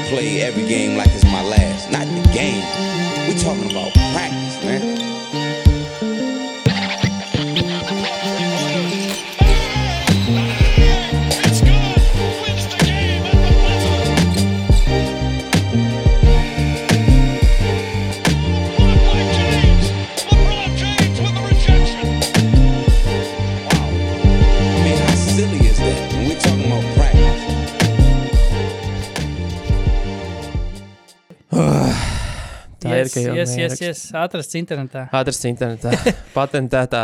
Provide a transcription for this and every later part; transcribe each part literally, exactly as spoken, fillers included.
play every game like it's my last. Not the game. We're talking about practice, man. Tā yes, ir, ka jau yes, yes, yes. Atrasts internetā. Atrasts internetā. Patentētā.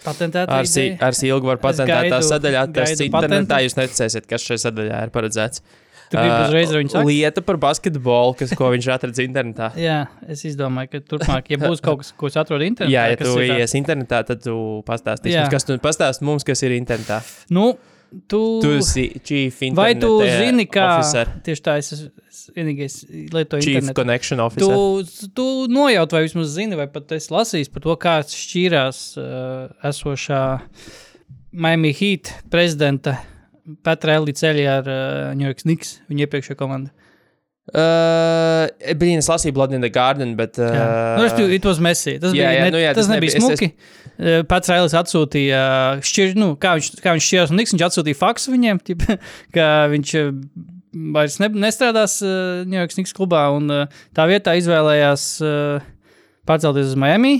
Patentētā ar, si, ar silgu var patentētā gaidu, sadaļā atrasts gaidu internetā. patentu. Jūs neticēsiet, kas šai sadaļā ir paredzēts. Tu gribi uzreiz ar viņu sakt? Lieta par basketbolu, kas, ko viņš atradz internetā. Jā, es izdomāju, ka turpmāk, ja būs kaut kas, ko es atrodu internetā. Jā, ja kas tu ir tā- ies internetā, tad tu pastāstīsi. Jā. Mums, kas tu pastāst mums, kas ir internetā. Nu, tu... Tu esi chief internet Vai tu zini, kā... officer. Tieši tā, es esmu vienīgais lietoju Chief internetu. connection officer. Tu, tu nojaut vai vismaz zini, vai pat esi lasījis par to, kā šķīrās uh, esošā Miami Heat prezidenta Pat Riley ceļā ar uh, New York Knicks, viņa iepriekšējā komanda. Uh, Blīn, es lasīju Blood in the Garden, bet... Uh, Jā. Nu, es it was messy. Tas, jā, bija, jā, ne, nu jā, tas, tas nebija nebija- es- smuki. Es... Pats Railis atsūtīja, šķir, nu, kā viņš, kā viņš šķirās un Knicks, viņš atsūtīja faksu viņiem, tip, ka viņš uh, vairs ne, nestrādās uh, New York Knicks klubā un uh, tā vietā izvēlējās uh, pārcelties uz Miami,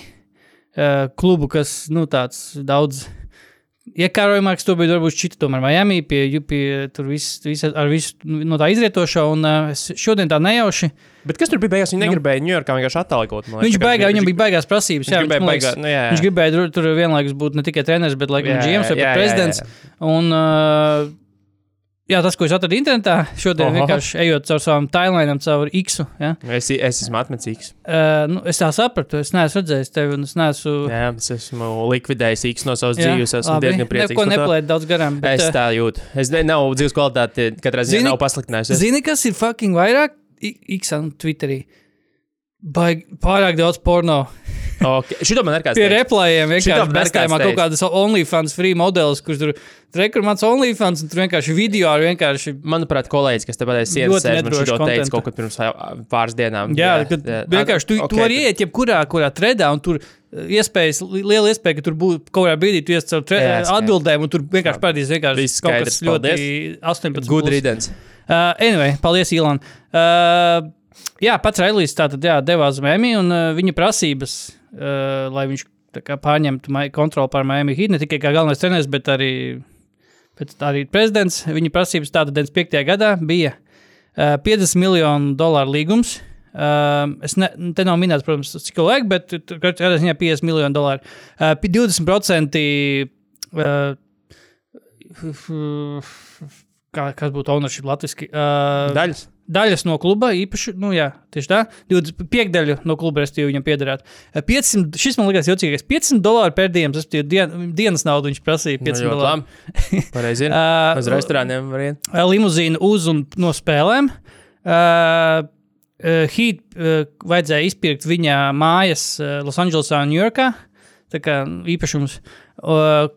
uh, klubu, kas, nu, tāds daudz... Iekārojumāks to bija varbūt šķita tomēr Miami pie, pie tur viss, viss ar visu no tā izrietošā un uh, es šodien tā nejauši. Bet kas tur bija beigās? Viņi negribēja Ņujorkā vienkārši attālgot. Viņš baigā, viņam bija baigās prasības. Viņš Jā, gribēja man baigā, liekas, nu, jā, jā. viņš gribēja tur, tur vienlaikus būt ne tikai treneris, bet laikam Jā, G Ms vai jā, pat jā, prezidents. jā, jā. Un, uh, jā, tas, ko es atradu internetā, šodien Oho. vienkārši ejot caur savām timelinām, caur X-u. Ja? Es, es esmu atmecīgs. Uh, nu, es tā sapratu, es neesmu redzējis tevi un es neesmu... Jā, es esmu likvidējis X no savas Jā, dzīves. Esmu labi. diezgan priecīgs Neko par to. nepalēt daudz garām. Bet, Es uh, tā jūtu. Es ne, nav dzīves kvalitāte, katrā ziņā Zini- nav pasliktinājusies. Zini, kas ir fucking vairāk? I- X un Twitterī. Baig, pārāk daudz porno. Okay. Šito man ir kāds Pie teiks. replējiem Šitam vienkārši man ir bestājumā kāds kaut kādas OnlyFans free modelis, kurš tur rekur mans OnlyFans un tur vienkārši video ar vienkārši... Manuprāt, kolēģis, kas te pateic sienas Ļoti sēž, man nedrošu šito teica kontentu. kaut kad pirms ā, pāris dienām. Jā, kad vienkārši tu, ok, tu vari iet jebkurā kurā tredā un tur uh, iespējas, li- liela iespēja, ka tur būtu kaut kādā brīdī tu ies caur tre, Jā, skaidrs. atbildēm un tur vienkārši parādīs vienkārši Viss kaut skaidrs, kas ļoti paldies. astoņpadsmit. Good plus. riddance. Uh, anyway, paldies, Ilan. Uh, jā, pats Railijs tātad jā, devās uz Miami un uh, viņa prasības, uh, lai viņš tā kā pārņemtu mai- kontroli pār Miami Heat, ne tikai kā galvenais treneris, bet arī, bet arī prezidents. Viņa prasības tātad deviņdesmit piektajā gadā bija uh, piecdesmit miljonu dolāru līgums. Uh, es ne, te nav minēts, protams, cik laika, bet tur kādā ziņā piecdesmit miljonu dolāru. Uh, divdesmit procenti uh, kā, kas būtu ownership latviski? Uh, Daļas. Daļas no kluba, īpaši, nu jā, tieši tā, divdesmit piekdaļu no kluba, restīvi viņam piederētu. piecsimt, šis man likās jocīgais, piecsimt dolāri per dienas, restīvi dien, dienas naudu viņš prasīja, piecsimt Nu, ļoti dolāri. labi. Pareizi ir. Uh, Uz restorāniem var iet. Limuzīnu uz un no spēlēm. Uh, uh, Heat uh, vajadzēja izpirkt viņa mājas uh, Losandželosā un Ņujorkā, tā kā īpašums. Uh,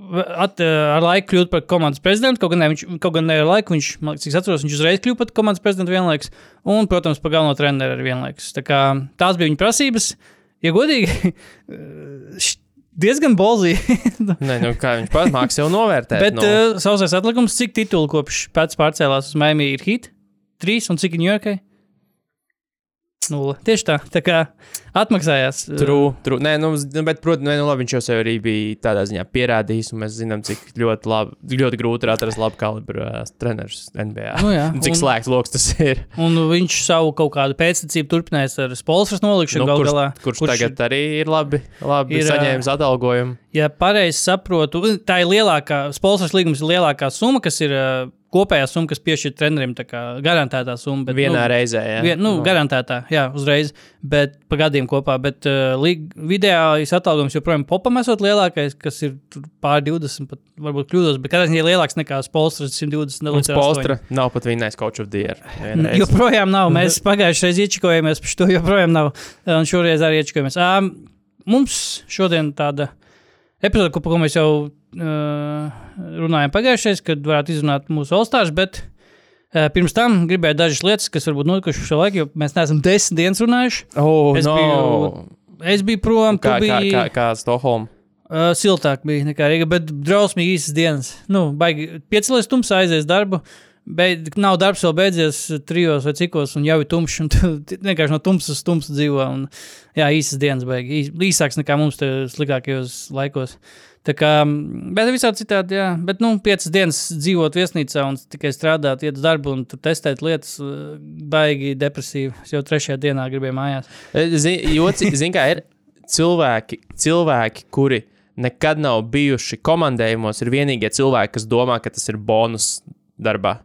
At, ar laiku kļūt par komandas prezidentu, kaut gan ne, viņš, kaut gan ne ar laiku, viņš, man liekas, cik atceros, viņš uzreiz kļūt par komandas prezidentu vienlaikus, un, protams, par galveno treneru arī vienlaikus. Tā kā tās bija viņa prasības. Ja godīgi, diezgan bolzī. Nē, nu kā viņš pats māks jau novērtēt. Bet nu. uh, sausais atlikums, cik titulu kopš pēc pārcēlās uz Miami ir Heat? Trīs, un cik Ņujorkai? Nulle. Tieši tā, tā kā atmaksājās. True, true. Nē, nu, z- bet, protams, nu, labi, viņš jau sev arī bija tādā ziņā pierādījis, un mēs zinām, cik ļoti, labi, ļoti grūti ir atrast labu kalibru uh, trenerus N B A. Nu jā, Un cik un- slēgts loks tas ir. Un viņš savu kaut kādu pēctecību turpinājis ar Spolstras nolikšanu Nu, gal kurš, galā. kurš tagad arī ir labi, labi ir, saņēmis atalgojumu. Ja pareizi saprotu, tā ir lielākā, Spolstras līgums ir lielākā summa, kas ir uh, kopējā summa, kas piešķir trenerim, tā kā garantētā summa. Bet, Vienā nu, reizē, jā. Vien, nu, garantētā, jā, uzreiz, bet pa gadiem kopā, bet uh, līg, vidējais atalgojums joprojām Popam esot lielākais, kas ir tur pār divdesmit, pat varbūt kļūdos, bet kādā ziņā lielāks nekā Spolstras simt divdesmit. Un Spolstra nav pat vinnējis coach of the year. vienreiz. Joprojām nav, mēs pagājušajā reizē iečikojamies, par šo joprojām nav, un šoreiz arī iečikojamies. Um, mums šodien tāda epizode, ko, ko mēs jau uh, runājam pagājušais, kad varētu izrunāt mūsu All-Stars, bet Pirms tam gribēju dažas lietas, kas varbūt notikušas šo laiku, jo mēs neesam desmit dienas runājuši. Oh, es, no. biju, es biju prom, kā, tu biji... Kā, kā, kā Stokholma? Uh, siltāk bija nekā Rīga, bet drausmīgi īsas dienas. Nu, baigi piecelies tumsā, aizies darbu, bet nav darbs vēl beidzies trijos vai cikos, un jau ir tumšs, un tu vienkārši no tumsas uz tumsu dzīvo, un jā, īsas dienas baigi. Īs, īsāks nekā mums te slikākajos laikos. Tā kā, bet visādi citādi, jā, bet, nu, piecas dienas dzīvot viesnīcā un tikai strādāt, iet uz darbu un tur testēt lietas, baigi depresīvi. Es jau trešajā dienā gribēju mājās. Zin, joci, zin kā ir cilvēki, cilvēki, kuri nekad nav bijuši komandējumos, ir vienīgie cilvēki, kas domā, ka tas ir bonus darbā.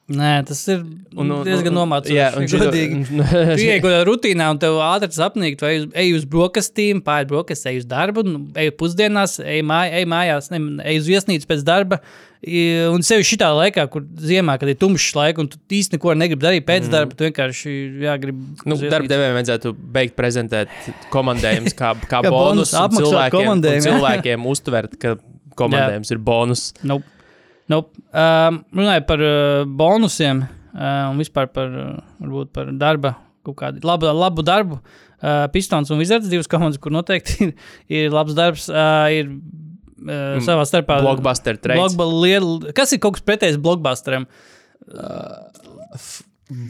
Nē, tas ir un, un, diezgan nomācoši. Jā, un godīgi. Tu iei kaut kādā rutīnā un tev ātri tas apnīk, tu ej, ej uz brokastīm, pāri brokastī, ej uz darbu, ej pusdienās, ej, māj, ej mājās, ne, ej uz viesnīcu pēc darba. Un sevi šitā laikā, kur ziemā, kad ir tumšs laika, un tu īsti neko negribi darīt pēc mm. darba, tu vienkārši, jā, gribi... Nu, darba devējiem vajadzētu beigt prezentēt komandējums kā, kā, kā bonus, un cilvēkiem, un cilvēkiem uztvert, ka komandējums jā. Ir bonus. Nope. Nope. Um, runāju par uh, bonusiem uh, un vispār par, uh, varbūt par darba, kaut kādu labu, labu darbu. Uh, Pistons un Wizards, divas komandas, kur noteikti ir, ir labs darbs, uh, ir uh, savā starpā... Blockbuster trades. Blogba, kas ir kaut kas pretējs blockbusteram? Uh, f-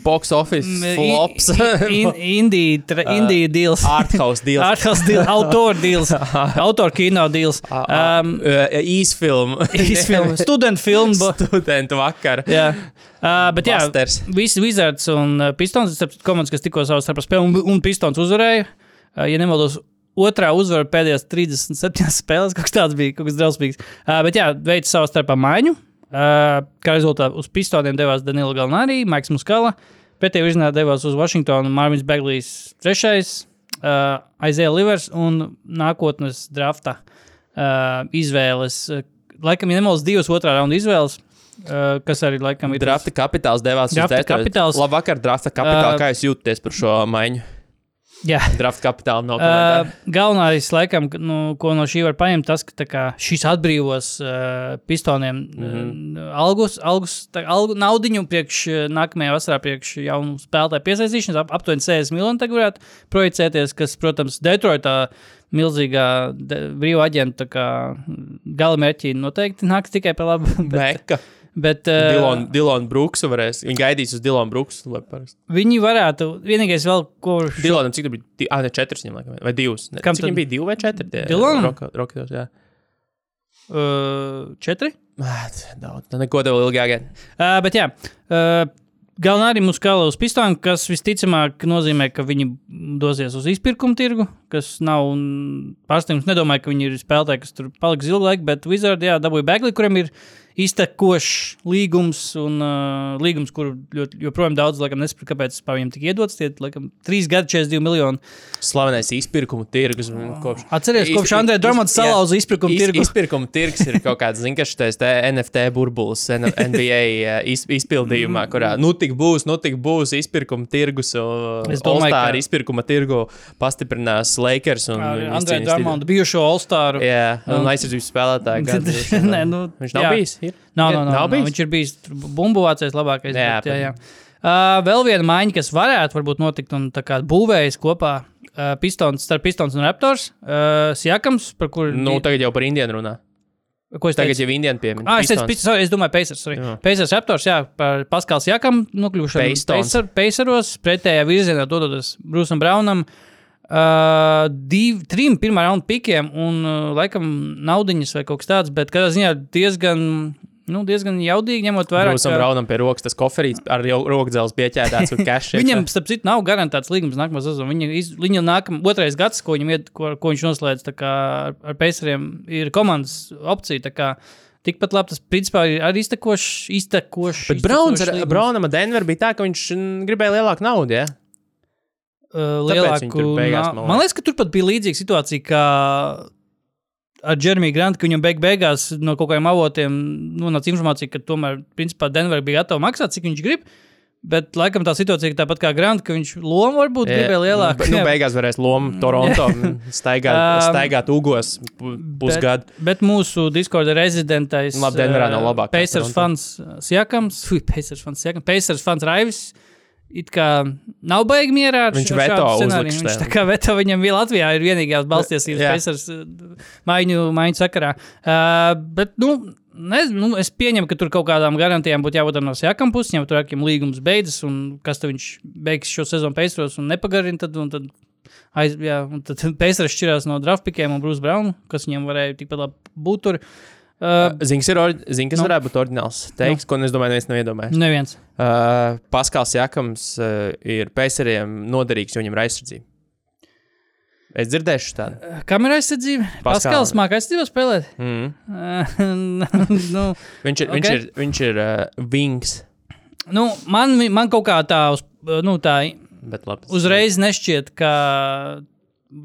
Box office flops. in, indie, tra, indie deals. Arthouse deals. Arthouse deals. Autor deals. Autor kino deals. Um, uh, Īsfilm. Īsfilm. Student film. Studentu vakar. Jā. Uh, bet Busters. Jā, visi Wizards un uh, Pistons, komandas, kas tikko savā starpā spēlē, un, un Pistons uzvarēja. Uh, ja nemaldos, otrā uzvara pēdējās trīsdesmit septiņas spēles, kaut kas tāds bija, kaut kas drausmīgs. Uh, bet jā, veica savā starpā maiņu. Uh, kā rezultātā uz Pistoniem devās Danilo Gallinari, Maiks Muskala, pretējā virzienā devās uz Washingtonu Marvins Bagley's trešais, uh, Isaiah Livers un nākotnes drafta uh, izvēles. Laikam, ja nemaldos, divas otrā raunda izvēles, uh, kas arī laikam ir... Drafta kapitāls devās drafta uz Detroit. Labvakar, drafta kapitāls. Uh, kā jūs jūtaties par šo maiņu? Jā. Drafta kapitāla nav komentāri. Uh, galvenais, laikam, nu, ko no šī var paņemt, tas, ka tā kā šis atbrīvos uh, Pistoniem mm-hmm. uh, algus, algus, tā, algu, naudiņu priekš nākamajā vasarā priekš jaunu spēlētāju piesaistīšanas, ap, aptuveni sešdesmit miljoni tagad varētu projicēties, kas, protams, Detroitā milzīgā de, brīva aģenta galamērķī noteikti nāks tikai par labu. Meka. Bet, uh, Dilon, Dilon Brooksu varēs. Viņi gaidīs uz Dilon Brooksu. Viņi varētu, vienīgais vēl, ko... Šo... Dilonam cik tur bija? Ah, ne, četras viņam laikam, vai divas. Ne, Kam cik viņam bija divi vai četri? Dilonam? Roketos, jā. Uh, četri? Daudz, neko tev ilgāk. Uh, bet jā, uh, Gallinari Muskala uz Pistonu, kas visticamāk nozīmē, ka viņi dosies uz izpirkumu tirgu, kas nav pārsteigums. Nedomāju, ka viņi ir spēlētāji, kas tur paliks ilgu laiku, bet Wizard, jā, dabūja Bagley, kuriem ir iztekošs līgums un uh, līgums, kuru ļoti, joprojām daudz, laikam, nesaprot, kāpēc pār viņam tik iedots. Tie, laikam, trīs gadi, četrdesmit divi miljoni. Slavenais izpirkumu tirgus. Kopš, Atceries, kopš Andrē Drummond's salauza izpirkumu iz, tirgu. Izpirkumu tirgus ir kaut kāds, zin, ka šitais te N F T burbulis N B A iz, izpildījumā, kurā nu tik būs, nu tik būs izpirkumu tirgus, All-Star ka... izpirkuma tirgu pastiprinās Lakers un Andrē Drummondu bijušo All-Staru. Jā, un aizsardzības spēlētāju. Nē, nu, viņš nav jā. Bijis? Ir? Nav, nav, nav, nav. Viņš ir bijis bumbuvācējs labākais. Jā, bet, jā, jā. Uh, vēl viena maiņa, kas varētu varbūt notikt un tā kā būvējas kopā uh, Pistons, starp Pistons un Raptors. Uh, Siakams, par kuru... Nu, tagad jau par Indianu runā. Ko es tagad teicu? jau Indianu piemin. Ah, es teicu, Pistons, es domāju Pacers, sorry. Jā. Pacers Raptors, jā, par Paskals Siakam nokļuvušanu Pacer, Paceros, pretējā virzienā dodoties Bruceam Brownam. Uh, div, trim pirmā raunda pikiem un uh, laikam naudiņas vai kaut kas tāds, bet kādā ziņā diezgan, nu, diezgan jaudīgi ņemot vērā. Brūsam ka... Braunam pie rokas tas koferīts ar rokdzeles pieķēdāts un cash. Viņam, starp citu, nav garantēts līgums nākamā sezona. Viņa, iz, viņa nākam, otrais gads, ko, iet, ko, ko viņš noslēdz tā kā ar, ar Paceriem, ir komandas opcija, tā kā tikpat labi tas, principā, ir arī iztekošs, iztekošs. Bet Browns ar, Brownam ar Denver bija tā, ka viņš gribēja lielāku naudu, ja? Uh, lielāku, beigās, man, man liekas, ka tur pat bija līdzīga situācija, kā ar Jeremiju Grantu, ka viņam beig beigās no kaut kādiem avotiem nonāca informācija, ka tomēr, principā, Denver bija gatava maksāt, cik viņš grib, Bet, laikam, tā situācija ir tāpat kā Grant, ka viņš lomu varbūt yeah. gribēja lielāku. Nu, beigās varēs lomu Toronto staigāt, staigāt ugos pusgadu. Bet, bet mūsu Discorda rezidentais Labi, Denverā nav labāk. Pacers fans Siakams, fui, Pacers fans Siakams, Pacers fans Raivis, it kā nav baigi mierā ar viņš veto uzlikšu. Viņš tā kā veto viņam vēl Latvijā ir vienīgās balstiesības yeah. Pacers maiņu, maiņu sakarā. Uh, bet, nu, Ne, nu, es pieņemu, ka tur kaut kādām garantijām būtu jābūt no Siakam puses, ja tur akiem līgums beidzas, un kas tad viņš beigs šo sezonu Pacers un nepagarina, tad, un tad, aiz, jā, un tad Pacers šķirās no draftpikiem un Bruce Brownu, kas viņam varēja tikpat labi būt tur. Uh, Zini, kas, or, zin, kas no. varētu būt oriģināls teiks, no. ko es domāju, neviens nav iedomājies. Neviens. Uh, Paskals Siakams uh, ir Paceriem noderīgs, jo viņam ir aizsardzība. Es dzirdēšu tādu. Kam ir aizsardzība? Paskals māk aizsardzībā spēlēt? Mm. Uh, nu, viņš ir, okay. viņš ir, viņš ir uh, wings. Nu, man, man kaut kā tā, uz, nu, tā Bet labi, uzreiz nešķiet, ka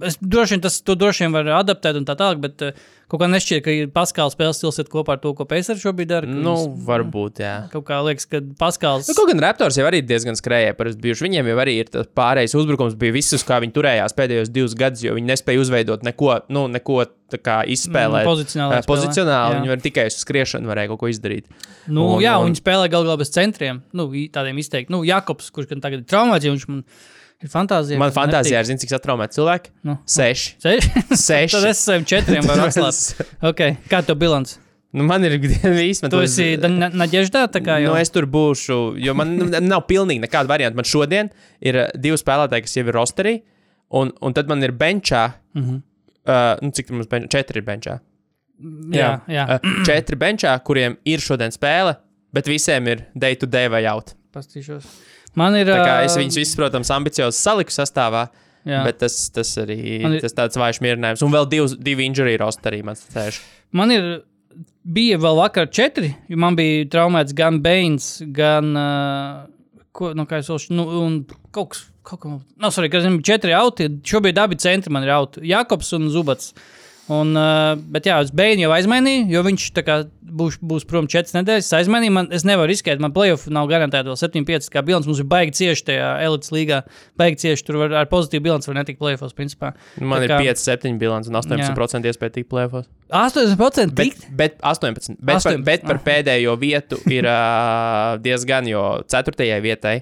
es droši vien tas, to droši vien var adaptēt un tā tālāk, bet uh, kaut kā nešķiet, ka Paskals spēles stils iet kopā ar to, ko Pacers šobrīd dara. Nu, varbūt, jā. Kaut kā liekas, ka Paskals... Nu, kaut gan Raptors jau arī diezgan skrēja par bijuši. Viņiem jau arī ir tas pārējais uzbrukums, bija visus, kā viņi turējās pēdējos divus gadus, jo viņi nespēja uzveidot neko, nu, neko tā kā izspēlēt. Mm, pozicionāli. Pozicionāli, viņi var tikai uz skriešanu varēja kaut ko izdarīt. Nu, un, jā, un... viņi spēlē gal galā bez centriem, nu, tādiem izteikti. Nu, Jakobs, kurš gan tagad ir traumēts, jo viņš man... Ir fantāzija. Man fantāzijā ir, zini, cik satraumēt cilvēki? Nu. Seši. Seši? Seši. Tad es saviem četriem varu atslāt. Ok, kā tev bilants? Nu, man ir īsti... Tu esi uz... Naģeždā tā kā jau? Nu, es tur būšu, jo man nav pilnīgi nekāda varianta. Man šodien ir divi spēlētāji, kas jau ir rosterī, un, un tad man ir benčā, mm-hmm. uh, nu, cik tur mums benčā? Četri ir benčā. Jā, jā. Uh, četri benčā, kuriem ir šodien spēle, bet visiem ir day to day vai out. Pastīšos. Man ir... Tā kā es viņus visus, protams, ambiciozi saliku sastāvā, jā. Bet tas, tas arī ir... tas tāds vājš mierinājums. Un vēl divs, divi injury rosterī man sēž. Man ir... Bija vēl vakar četri, jo man bija traumēts gan Baines, gan... Uh, ko, nu, kā es vēl... Nu, un kaut kas... Kaut kā... Nav, sorry, ka zinu, četri auti. Šobrīd abi centri man ir auti. Jakobs un Zubats. Un, uh, bet jā, es Bainu jau aizmainīju, jo viņš tā kā būs, būs prom četras nedēļas. Es aizmainīju, man, es nevaru riskēt, man playoff nav garantēta vēl septiņi pieci kā bilants. Mums ir baigi cieši tajā elites līgā, baigi cieši tur var, ar pozitīvu bilanci var netikt playoffos, principā. Man tā ir pieci septiņi bilants un astoņdesmit procenti iespēja tikt playoffos. astoņdesmit procenti tikt? Bet, bet astoņpadsmit procenti. Bet, astoņpadsmit. Par, bet par pēdējo vietu ir uh, diezgan, jo ceturtajai vietai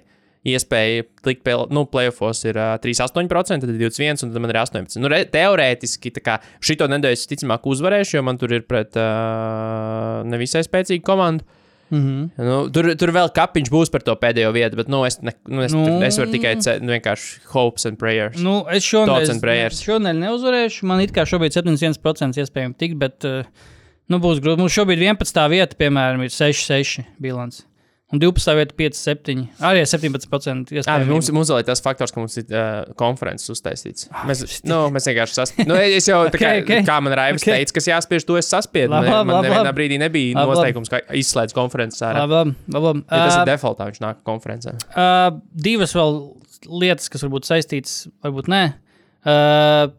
iespēja tikt pie, nu, playoffos ir uh, trīsdesmit astoņi procenti, tad divdesmit viens un tad man ir astoņpadsmit. Nu, re, teorētiski, tā kā šito nedēļu es ticamāk uzvarēšu, jo man tur ir pret uh, nevisai spēcīgu komandu. Mm-hmm. Nu, tur, tur vēl kapiņš būs par to pēdējo vietu, bet, nu, es, ne, nu, es, nu, es varu tikai ce, nu, vienkārši hopes and prayers. Nu, es šonedēļ šonedēļ neuzvarēšu. Man it kā šobrīd septiņdesmit viens procents iespējami tikt, bet, uh, nu, būs grūti. Mums šobrīd vienpadsmitā vieta, piemēram, ir seši seši bilants. Un divpadsmitā vieta pieci septiņi. Arī septiņpadsmit procenti iespējami. Mums, mums vēl ir tas faktors, ka mums ir uh, konferences uztaisīts. Mēs, nu, mēs vienkārši saspiežam. Nu, es jau, tā kā, okay, okay. kā man Raivs okay. teica, kas jāspiež, to es saspiedu. Lab, lab, man nevienā lab. brīdī nebija lab, nosteikums, ka izslēdz konferences ārā. Labi, labi. Ja tas uh, ir defaultā, viņš nāk konferencē. Uh, divas vēl lietas, kas varbūt saistītas, varbūt nē. Uh,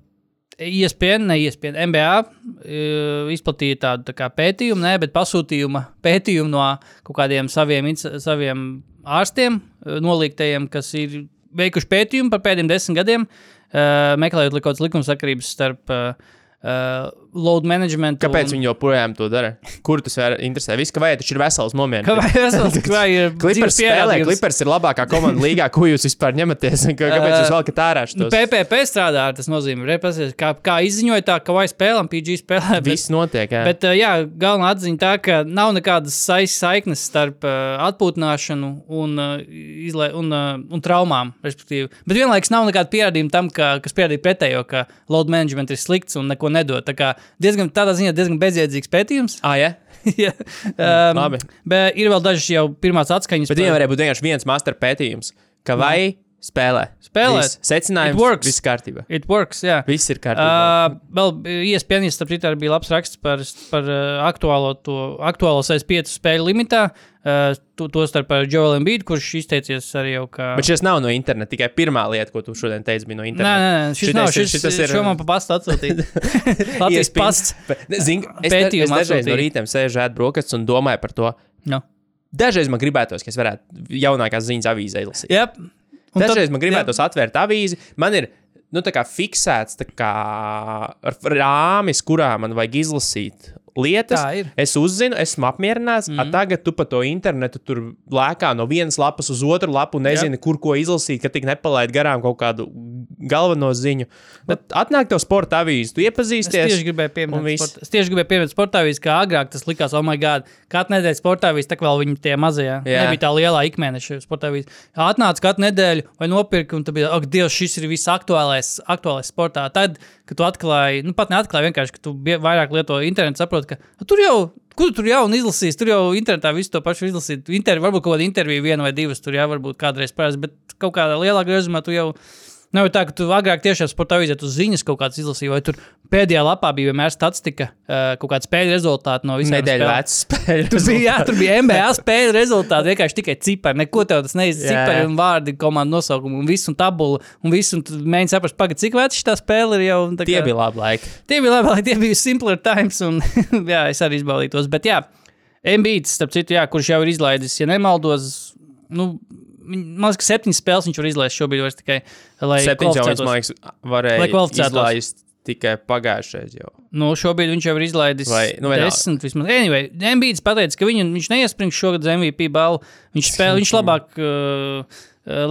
E S P N, ne E S P N, N B A uh, izplatīja tādu tā kā pētījumu, ne, bet pasūtījuma pētījumu no kaut kādiem saviem, saviem ārstiem, uh, nolīgtajiem, kas ir veikuši pētījumu par pēdējiem desmit gadiem, uh, meklējot kaut kādas likumsakarības starp uh, uh, load management. Kāpēc un... viņi joprojām to dara? Kur tas var interesē? Viss, ka vai taču ir vesels nomierināts. Ka vai vesels, ka vai ir Clippers spēlē, Clippers ir labākā komanda līgā, ko jūs vispār ņematies, kāpēc jūs valkat ārā šitos? Nu, P P P strādā, tas nozīmē, repasies, kā, kā izziņoja tā, ka vai spēlēm, P G spēlē. Bet, Viss notiek, jā. Bet, jā, galvenā atziņa tā, ka nav nekādas saiknes starp uh, atpūtināšanu un, uh, izlē, un, uh, un traumām, respektīvi. Bet vienlaiks nav nekāda pierādījuma tam, ka, kas pierādīja pretējo, ka load management ir slikts un neko nedod. Tā kā diezgan, tādā ziņā diezgan bezjēdzīgs pētījums. Ah, ja? Jā. Um, Labi. Bet ir vēl dažas jau pirmās atskaņas. Bet viņiem varēja būt vienkārši viens master pētījums, ka vai spēlē. Spēlē. Secinājums, viss kārtībā. It works, jā. Viss ir kārtībā. Uh, vēl E S P N, starp citu, bija labs raksts par, par uh, aktuālo, to, aktuālo sešdesmit pieci spēļu limitā. Uh, to, to starp ar Joel Embiid, kurš izteicies arī jau kā... Bet šis nav no interneta, tikai pirmā lieta, ko tu šodien teici, bija no interneta. Nē, nē, šis šitais nav, šis, ir, šitas ir... šo man pa pastu atsūtīt. Latvijas pasts Zin, es, es dažreiz no rītiem sēžu ēd brokastis un domāju par to. No. dažreiz man gribētos, ka es varētu jaunākās ziņas avīzē izlasīt. Yep. Dažreiz tad, man gribētos jā. atvērt avīzi. Man ir nu, tā kā fiksēts tā kā rāmis, kurā man vajag izlasīt lietas. Es uzzinu, esmu apmierināts. Mm. Tagad tu pa to internetu tur lēkā no vienas lapas uz otru lapu un nezini, yep. kur ko izlasīt, ka tik nepalaid garām kaut kādu galveno ziņu. Bet atnāk tev sporta avīzi, tu iepazīsties. Es tieši gribēju pieminēt sporta, es tieši gribēju pieminēt sporta avīzi, kā agrāk tas likās, oh my god, katru nedēļu sporta avīzi, tā vēl viņi tie mazajā. Jā. Nebija tā lielā ikmēneša sporta avīzi. Atnāc katru nedēļu vai nopirki, un tad bija, ak, Dievs, šis ir viss aktuālais, aktuālais sportā. Tad, kad tu atklāji, nu pat neatklāji vienkārši, ka tu vairāk lieto internetu, saproti, ka tur jau, kur tu tur jau un izlasīs, tur jau internetā visu to pašu izlasīt. Intervi, varbūt kaut kāda intervija viena vai divas tur jau varbūt kādreiz parasti, bet kaut kādā lielākā rezumā tu jau nav tā, ka tu agrāk tiešām sporta avīzē tu ziņas kaut kāds izlasīji, vai tur pēdējā lapā bija vienmēr statistika, kaut kāda spēļu rezultāti no visām spēlēm. Nedēļu vecas spēļu. Tur bija, jā, tur bija N B A spēļu rezultāti, vienkārši tikai cipari, neko tev tas neiz cipari un vārdi, komandu nosaukumu un visu un tabulu un visu, un tu mēģini saprast, pagad, cik vecs šitā spēle ir jau. Tie kā, bija labi laiki. Tie bija labi laiki, tie bija simpler times un jā, es arī izbaudītos, bet jā, Embiids, starp citu, jā, kurš jau ir izlaidis, ja nemaldos, nu, man liekas, ka septiņas spēles viņš var izlaist šobrīd vairs tikai, lai septiņas jau viņš, man liekas, varēja izlaist tikai pagājušais jau. Nu, šobrīd viņš jau ir izlaidis vai, nu, desmit vismaz. Anyway, Embiids pateica, ka viņu, viņš neiesprings šogad uz M V P balvu. Viņš spēlē, viņš labāk, uh,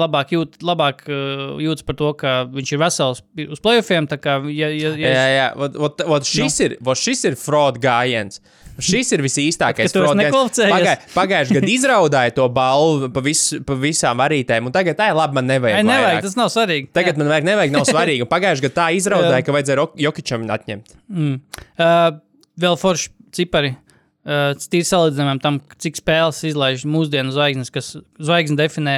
labāk, jūt, labāk uh, jūtas par to, ka viņš ir vesels uz playoffiem, tā kā, ja, ja, ja jā, jā, vot, vot, vot šis, no. ir, vot šis ir fraud gājiens. Šis ir visīstākais fraud gājiens. Pagāj, pagājuši gadu izraudāja to balvu pa, vis, pa visām varītēm, un tagad, tā, labi, man nevajag. Ai, nevajag, tas nav svarīgi. Tagad jā. man vajag, nevajag, nav svarīgi. Un pagājuši gadu tā izraudāja, ka vajadzēja Jokičam atņemt. Mm. Uh, vēl forši cipari. Uh, tīri salīdzinājumam tam, cik spēles izlaiž mūsdienu zvaigznes, kas zvaigznes definē,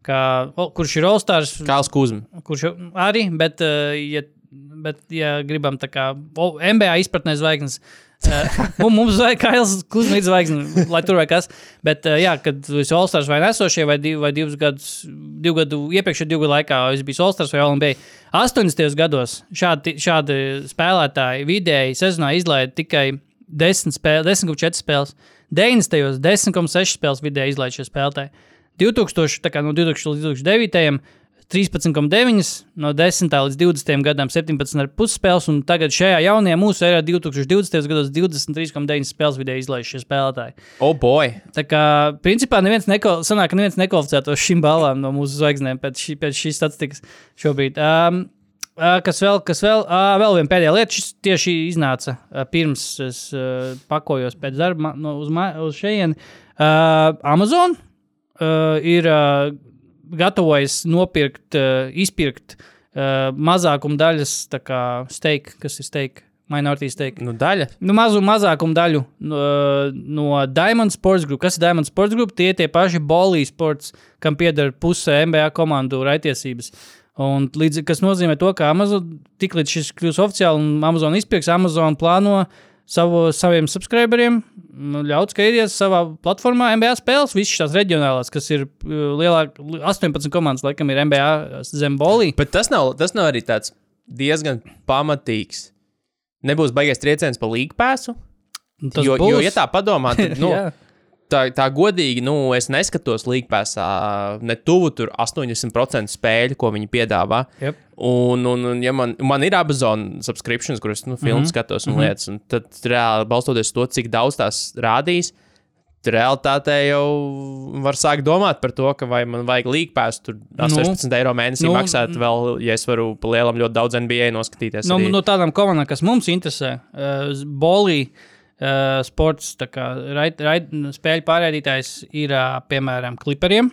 kā, o, kurš ir All-Stars. Kāls Kuzma. Kurš arī, bet, uh, ja, bet ja gribam tā kā o, N B A izpratnē zvaigznes, uh, mums vajag Kails Kuzma ir zvaigznes, lai tur vai kas, bet uh, jā, kad esi All-Stars vai nesošie, vai, div, vai divus gadus, divu gadu, iepriekšējā divu gadu laikā es biju All-Stars vai All N B A, astoņdesmitajos gados šādi, šādi spēlētāji vidēji sezonā izlaida tikai desmit spēles, desmit komats četri spēles, deviņdesmitajos desmit komats seši spēles vidēji izlaida šie spēlētāji. divtūkstoši, tā kā no divtūkstošiem līdz divtūkstošiem devītajam trīspadsmit komats deviņi, no desmitā līdz divdesmitajam gadam septiņpadsmit komats pieci spēles, un tagad šajā jaunajā mūsu erā divtūkstoši divdesmitajos gados divdesmit trīs komats deviņi spēles vidēji izlaiž šie spēlētāji. Oh boy! Tā kā, principā, neviens neko, sanāk, ka neviens nekvalificētos šim balām no mūsu zvaigznēm pēc, šī, pēc šīs statistikas šobrīd. Um, Uh, kas vēl, kas vēl, uh, vēl viena pēdējā lieta, šis tieši iznāca uh, pirms es uh, pakojos pēc darba no, uz, ma, uz šejieni. Uh, Amazon uh, ir uh, gatavojis nopirkt, uh, izpirkt uh, mazākumu daļas, tā kā steak, kas ir steak, minority steak. Nu, daļa? Nu, mazu mazākumu daļu no, no Diamond Sports Group. Kas ir Diamond Sports Group? Tie tie paši Bolī Sports, kam pieder puse N B A komandu raitiesības. Un līdz, kas nozīmē to, ka Amazon, tik līdz šis kļūs oficiāli un Amazon izpirks, Amazon plāno savu, saviem subscriberiem ļaut skatīties savā platformā N B A spēles, visas šās reģionālās, kas ir lielāk, astoņpadsmit komandas, laikam ir N B A zem Bolī. Bet tas nav, tas nav arī tāds diezgan pamatīgs. Nebūs baigais trieciens pa League Passu? Jo, jo, ja tā padomā, tad, nu, Tā, tā godīgi, nu, es neskatos League Passā ne tuvu tur astoņdesmit procenti spēļu, ko viņi piedāvā. Yep. Un, un, un ja man, man ir Amazon subscriptions, kuras, nu, filmu mm-hmm. skatos un mm-hmm. lietas, un tad reāli balstoties to, cik daudz tās rādīs, realitātē jau var sākt domāt par to, ka vai man vajag League Pass tur sešpadsmit nu, eiro mēnesī nu, maksāt vēl, ja es varu pa lielam ļoti daudz N B A noskatīties. Nu, arī. No tādām komandām, kas mums interesē, uh, Bolī, Uh, sports, tā kā raid, raid, spēļu pārraidītājs ir, uh, piemēram, Clipperiem.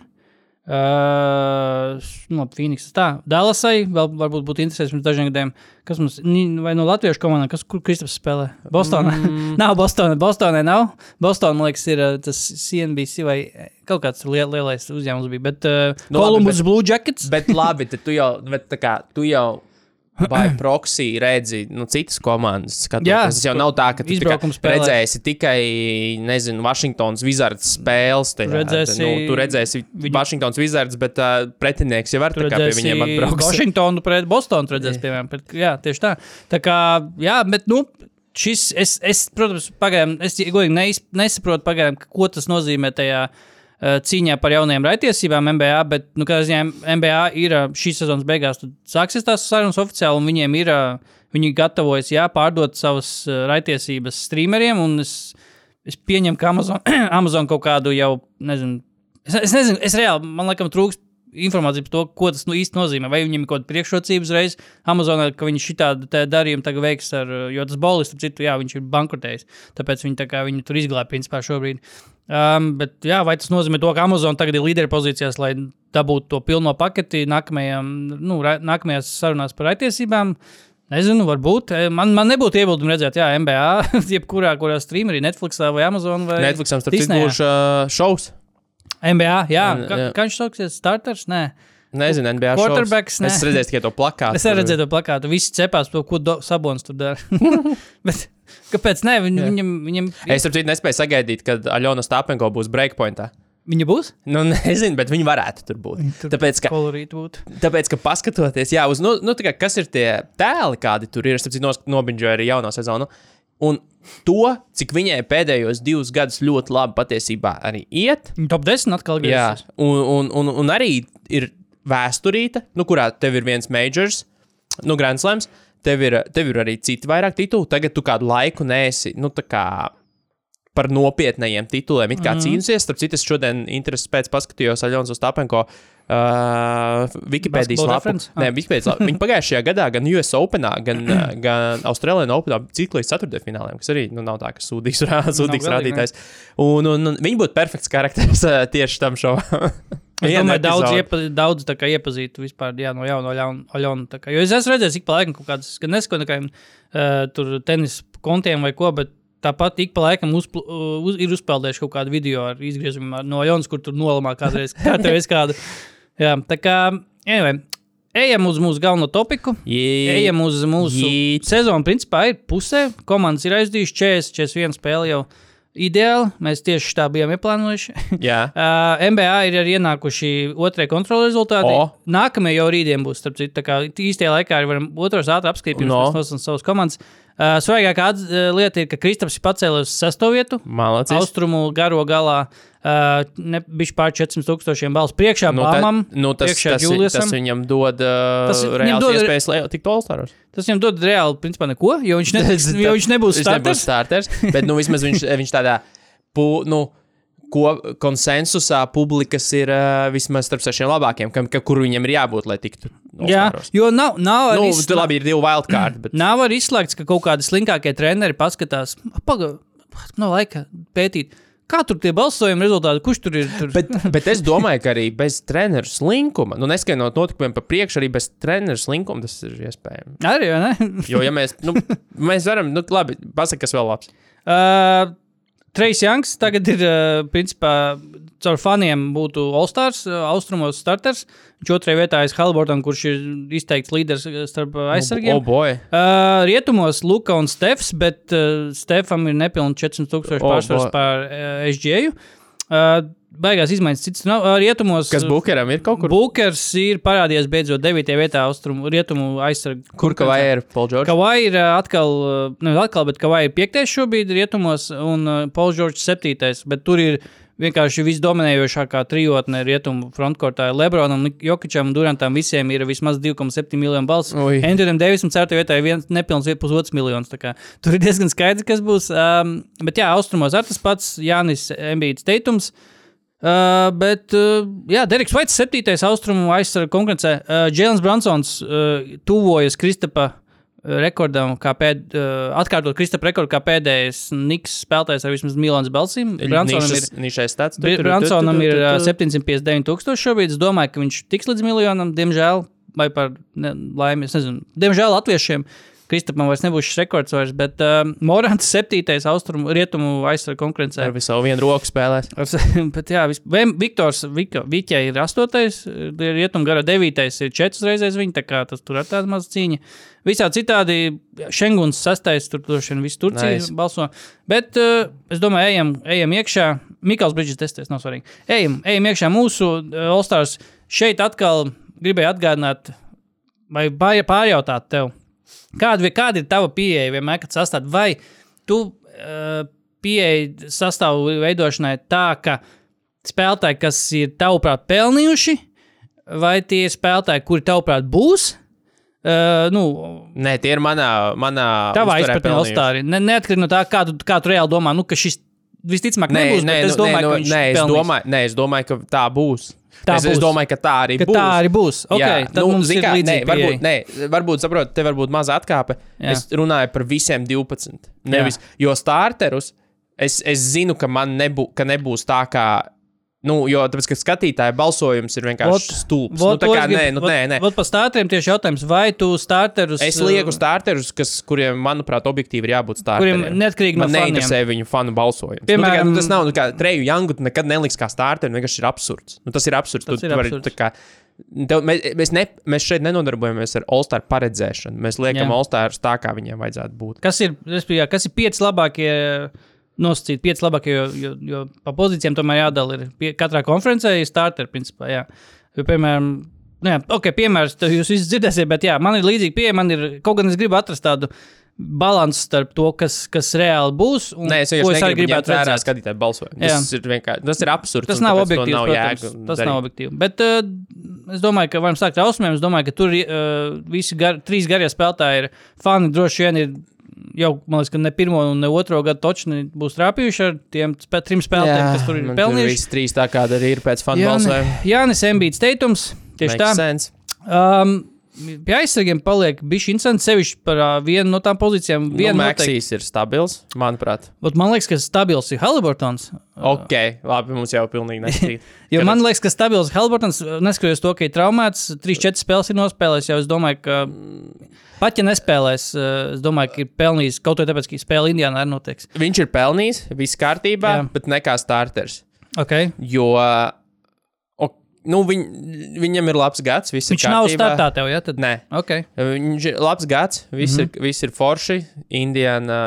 Uh, no Phoenix tā. Dallasai vēl varbūt būtu interesēs mums dažiem gadiem. Kas mums, vai no latviešu komandām, kas, kur Kristaps spēlē? Bostonā? Mm. nav Bostonā, Bostonā nav. Bostonā, man liekas, ir uh, tas C N B C vai kaut kāds liel, lielais uzņēmums bija, bet uh, no, Columbus labi, bet, Blue Jackets. Bet labi, tad tu jau, bet tā kā, tu jau vai proxy redzi, nu, citas komandas skatoties. Jā, tas jau nav tā, ka tu tā redzēsi tikai, nezinu, Washingtons Wizards spēles. Tajā, redzēsi, nu, tu redzēsi viņu... Washingtons Wizards, bet uh, pretinieks jau var tā kā pie viņiem atbrauks. Washingtonu pret Bostonu redzēs, piemēram. Pret, jā, tieši tā. Tā kā, jā, bet, nu, šis, es, es, protams, pagaidām, es godīgi neis, nesaprotu pagaidām, ko tas nozīmē tajā uh, cīņā par jaunajām raitiesībām N B A, bet, nu, kā ziņā, N B A ir uh, šīs sezonas beigās, tad sāksies tās sarunas oficiāli, un viņiem ir, uh, viņi gatavojas, jā, pārdot savas uh, raitiesības streameriem, un es, es pieņemu, ka Amazon, Amazon kaut kādu jau, nezinu, es, es nezinu, es reāli, man laikam trūkst informācija par to, ko tas nu īsti nozīmē. Vai viņam ir kaut kāda priekšrocības reiz Amazonā, ka viņš šitādu darījumu tagad veiks ar, jo tas Bolis, starp citu, jā, viņš ir bankrotējis, tāpēc viņi tā kā viņu tur izglāb principā šobrīd. Um, bet jā, vai tas nozīmē to, ka Amazon tagad ir līderi pozīcijās, lai dabūtu to pilno paketi nākamajām, nu, ra, nākamajās sarunās par aitiesībām? Nezinu, varbūt. Man, man nebūtu iebildumi redzēt, jā, N B A, jebkurā, kurā streamerī, Netflixā vai Amazon vai Netflixam, starp citu, būs uh, šovs. N B A, jā. Kā, kā viņš sauksies? Starters? Nē. Nezinu, N B A Quarterbacks, šovs. Es redzēju tikai to plakātu. Es arī redzēju to plakātu. Visi cepās, ko do, Sabons tur dara. Bet kāpēc ne? Viņ, viņam, viņam... Es starp citu nespēju sagaidīt, kad Aļona Stāpenko būs breakpointā. Viņa būs? Nu, nezinu, bet viņi varētu tur būt. Tur tāpēc, ka, būt. tāpēc, ka paskatoties, jā, uz, nu, nu, tā kā, kas ir tie tēli, kādi tur ir, es starp citu nobinģoju arī jauno sezonu. Un to, cik viņai pēdējos divus gadus ļoti labi patiesībā arī iet. Top desmit atkal griežas. Jā, un, un, un, un arī ir vēsturīta, nu, kurā tev ir viens majors, nu, Grand Slams, tev ir, tev ir arī citi vairāk tituli. Tagad tu kādu laiku neesi, nu, tā kā par nopietnajiem tituliem it kā mm. cīnusies. Starp citu, es šodien intereses pēc paskatījos Aļonas Ostapenko uh, Wikipēdijas lapu. Nē, Wikipēdijas lapu. Viņi pagājušajā gadā gan U S Openā, gan, gan Australian Openā cik līdz ceturtdaļfināliem, kas arī, nu, nav tā, ka sūdīgs, sūdīgs rādītājs. Un, un, un viņi būtu perfekts karakteris uh, tieši tam šovam. Es domāju, daudz, iepa, daudz tā kā iepazītu vispār, jā, no jauna Aļona. Jo es esmu redzējis, ik pa laikam kaut kādas, gan nesko nekādiem uh, tur tenis kontiem vai ko, bet tāpat ik pa laikam uzpl, uz, ir uzpeldējuši kaut kādu video ar izgriezumiem no Aļonas, kur tur nolamā kādreiz, kādreiz kādu. Jā, tā kā, anyway, ejam uz mūsu galveno topiku. Jīt. Ejam uz mūsu Jīt. Sezonu, principā ir pusē. Komandas ir aizdījuši četrdesmit, četrdesmit viena spēle jau. Ideāli, mēs tieši tā bijām ieplānojuši. Jā. uh, N B A ir arī ienākuši otrie kontrolu rezultāti. O. Nākamie jau rītdien būs, starp citu, tā kā īstajā laikā arī varam otros ātri apskatīt, pirms no. mēs nosam savas komandas. Uh, Svarīgākā uh, lieta ir, ka Kristaps ir pacēlies uz sesto vietu. Malacis. Austrumu garo galā. Uh, ne, bišķi pār četrsimt tūkstošiem balsu priekšā nu, Bāmam, nu, tas, priekšā tas, Juliusam. Tas viņam dod uh, Tas reāls dod, iespējas tikt All-Staros. Tas viņam dod reāli, principā, neko, jo viņš, ne, jo viņš nebūs starters. Viņš nebūs starters, bet, nu, vismaz viņš, viņš tādā, pu, nu, ko konsensusā publikas ir uh, vismaz starp sešiem labākiem, kam, ka, kur viņam ir jābūt, lai tiktu All-Staros. Jā, jo nav, nav nu, izslēgts. Tu labi ir divi wildcard, bet... Nav arī izslēgts, ka kaut kādi slinkākie treneri paskatās, paga, nav laika pētīt. Kā tur tie balsojumi rezultāti? Kurš tur ir? Tur? Bet, bet es domāju, ka arī bez treneru slinkuma, nu neskaidrot notikumiem pa priekšu, arī bez treneru slinkuma tas ir iespējams. Arī, vai ne? Jo, ja mēs, nu, mēs varam, nu, labi, pasaka, kas vēl labs. Uh, Trejs Janks tagad ir, uh, principā, caur faniem būtu All-Stars, uh, austrumos starters. Viņš otrajā vietā ir Haliburton, kurš ir izteikts līderis starp aizsargiem. Oh, boy. Uh, rietumos Luka un Stefs, bet uh, Stefam ir nepilni četrsimt tūkstoši Oh, pārsvars boy. pār uh, S G A-ju. Uh, baigās izmaiņas cits nav. Uh, rietumos... Kas Bukeram ir kaut kur? Bukers ir parādījies beidzot devītajā vietā austrumu, rietumu aizsargu. Kur Kavai ir Paul George? Kavai ir uh, atkal, uh, ne atkal, bet Kavai ir piektais šobrīd rietumos un uh, Paul George septītais, bet tur ir vienkārši visdominējošākā trijotne rietumu frontkortā. Lebronam, Jokičam un Durantam visiem ir vismaz divi komats septiņi miljoni balsu. Anthonyam Davisam ceturtajā vietā ir viens nepilns pusotrs miljons. Tur ir diezgan skaidrs, kas būs. Um, bet jā, austrumos ar tas pats Jānis Embiids Teitums. Uh, bet, uh, jā, Deriks Vaits septītais austrumu aizsarga konkurencē. Uh, Jēlens Bransons uh, tuvojas Kristapa rekordam, kā pēd, uh, atkārtot Kristapa rekordu kā pēdējais Niks spēlētājs ar vismaz miljonas balsīm. Bransonam ir, nišais stats. Bransonam ir uh, septiņsimt piecdesmit deviņi tūkstoši šobrīd. Es domāju, ka viņš tiks līdz miljonam, diemžēl, vai par ne, laimi, es nezinu. Diemžēl latviešiem Kristapam vairs nebūs šis rekords vairs, bet uh, Morants septītais austrumu rietumu aizsarga konkurencē. Ar visu vienu roku spēlēs. Bet jā, vis, Viktors Viķai ir astotais, rietumu gara devītais ir četras reizes viņa, tā kā tas tur ir tāda maza cīņa. Visā citādi Šenguns sastais, tur droši vien visu Turciju nice. Balso. Bet uh, es domāju, ejam, ejam iekšā. Mikals Bridges testēs, nav svarīgi. Ejam, ejam iekšā mūsu uh, All-Stars. Šeit atkal gribēju atgādināt, vai pārjautāt tev. Kāda, kāda ir tava pieeja vienmēr, kad sastāv? Vai tu uh, pieeja sastāvu veidošanai tā, ka spēlētāji, kas ir tavuprāt pelnījuši, vai tie spēlētāji, kuri tavuprāt būs? Uh, nu, Nē, tie ir manā, manā tavā izpratnē All-Stari. Ne, neatkarīgi no tā, kā tu, kā tu reāli domā, nu, ka šis visticamāk nē, nebūs, nē, bet es nu, domāju, nē, ka viņš nē, es pelnīs. domāju, nē, es domāju, ka tā būs. Tā es, būs. es domāju, ka tā arī ka būs. Tā arī būs. Okay, tad nu, mums ir kā, līdzīgi nē, varbūt, nē, varbūt, saprot, te varbūt maza atkāpe. Jā. Es runāju par visiem divpadsmit. Nevis, Jā. jo starterus es, es zinu, ka man nebū, ka nebūs tā kā. Nu, jo tāpēc, ka skatītāja balsojums ir vienkārši stulbs. Nu, tā kā, nē, nu, nē, nē. Vot par starteriem tieši jautājums, vai tu starterus... Es lieku starterus, kas, kuriem, manuprāt, objektīvi ir jābūt starteriem. Kuriem neatkarīgi no faniem. Man neinteresē viņu fanu balsojums. Piemēram, nu, kā, nu, tas nav, nu, kā Treju Youngu nekad neliks kā starteri, vienkārši ir absurds. Nu, tas ir absurds. Tas tu, ir tu vari, absurds. tā kā, tev, mēs, mēs, ne, mēs šeit nenodarbojamies ar All-Star paredzēšanu. Mēs liekam Jā. All-Stars tā, kā viņiem vajadzētu būt. Kas ir, kas ir pieci labākie... nosacīt pieci labākie, jo, jo, jo pa pozīcijām tomēr jādala ir. Pie, katrā konferencē ir starteri, principā, jā. Jo, piemēram, jā, ok, piemērs, jūs visi dzirdēsiet, bet jā, man ir līdzīgi pieeja, man ir, kaut gan es gribu atrast tādu balansu starp to, kas, kas reāli būs, un Nē, es ko es arī negribu gribētu vērā redzēt. skatītāju balsojumu. Tas ir vienkārši, tas ir absurds. Tas nav objektīvs, nav protams, tas darīt. Nav objektīvi. Bet uh, es domāju, ka varam sākt ar ausmēm, es domāju, ka tur uh, visi gar, trīs garie spēlētāji ir fani, droši vien ir jau, man liekas, ka ne pirmo un ne otro gadu točni būs trāpījuši ar tiem spē, trim spēlētājiem, kas tur ir pelnījuši. Jā, visi trīs tā kāda arī ir pēc fanu balsojuma. Jānis Embiids Teitums, tieši Makes tā. Sense. Um, pie aizsargiem paliek bišķi interesanti, sevišķi par uh, vienu no tām pozīcijām. Nu, Maxijs ir stabils, manuprāt. Ot, man liekas, ka stabils ir Haliburtons. Ok, labi, mums jau pilnīgi neskatīt. Jo man liekas, ka stabils Haliburtons, neskatoties to, ka ir traumēts, trīs četras spēles ir nospēlējis, jau es domāju, ka pat ja nespēlēs, es domāju, ka ir pelnījis kaut ko tāpēc, ka spēle Indiānā arī notiks. Viņš ir pelnījis, viss kārtībā, Jā. bet ne kā starters. Okay. Jo o, nu, viņ, viņam ir labs gads, viss Viņš ir kārtībā. Viņš nav startā tev, ja? Tad... Nē. Okay. Viņš ir labs gads, viss, mm-hmm. ir, viss ir forši. Indiāna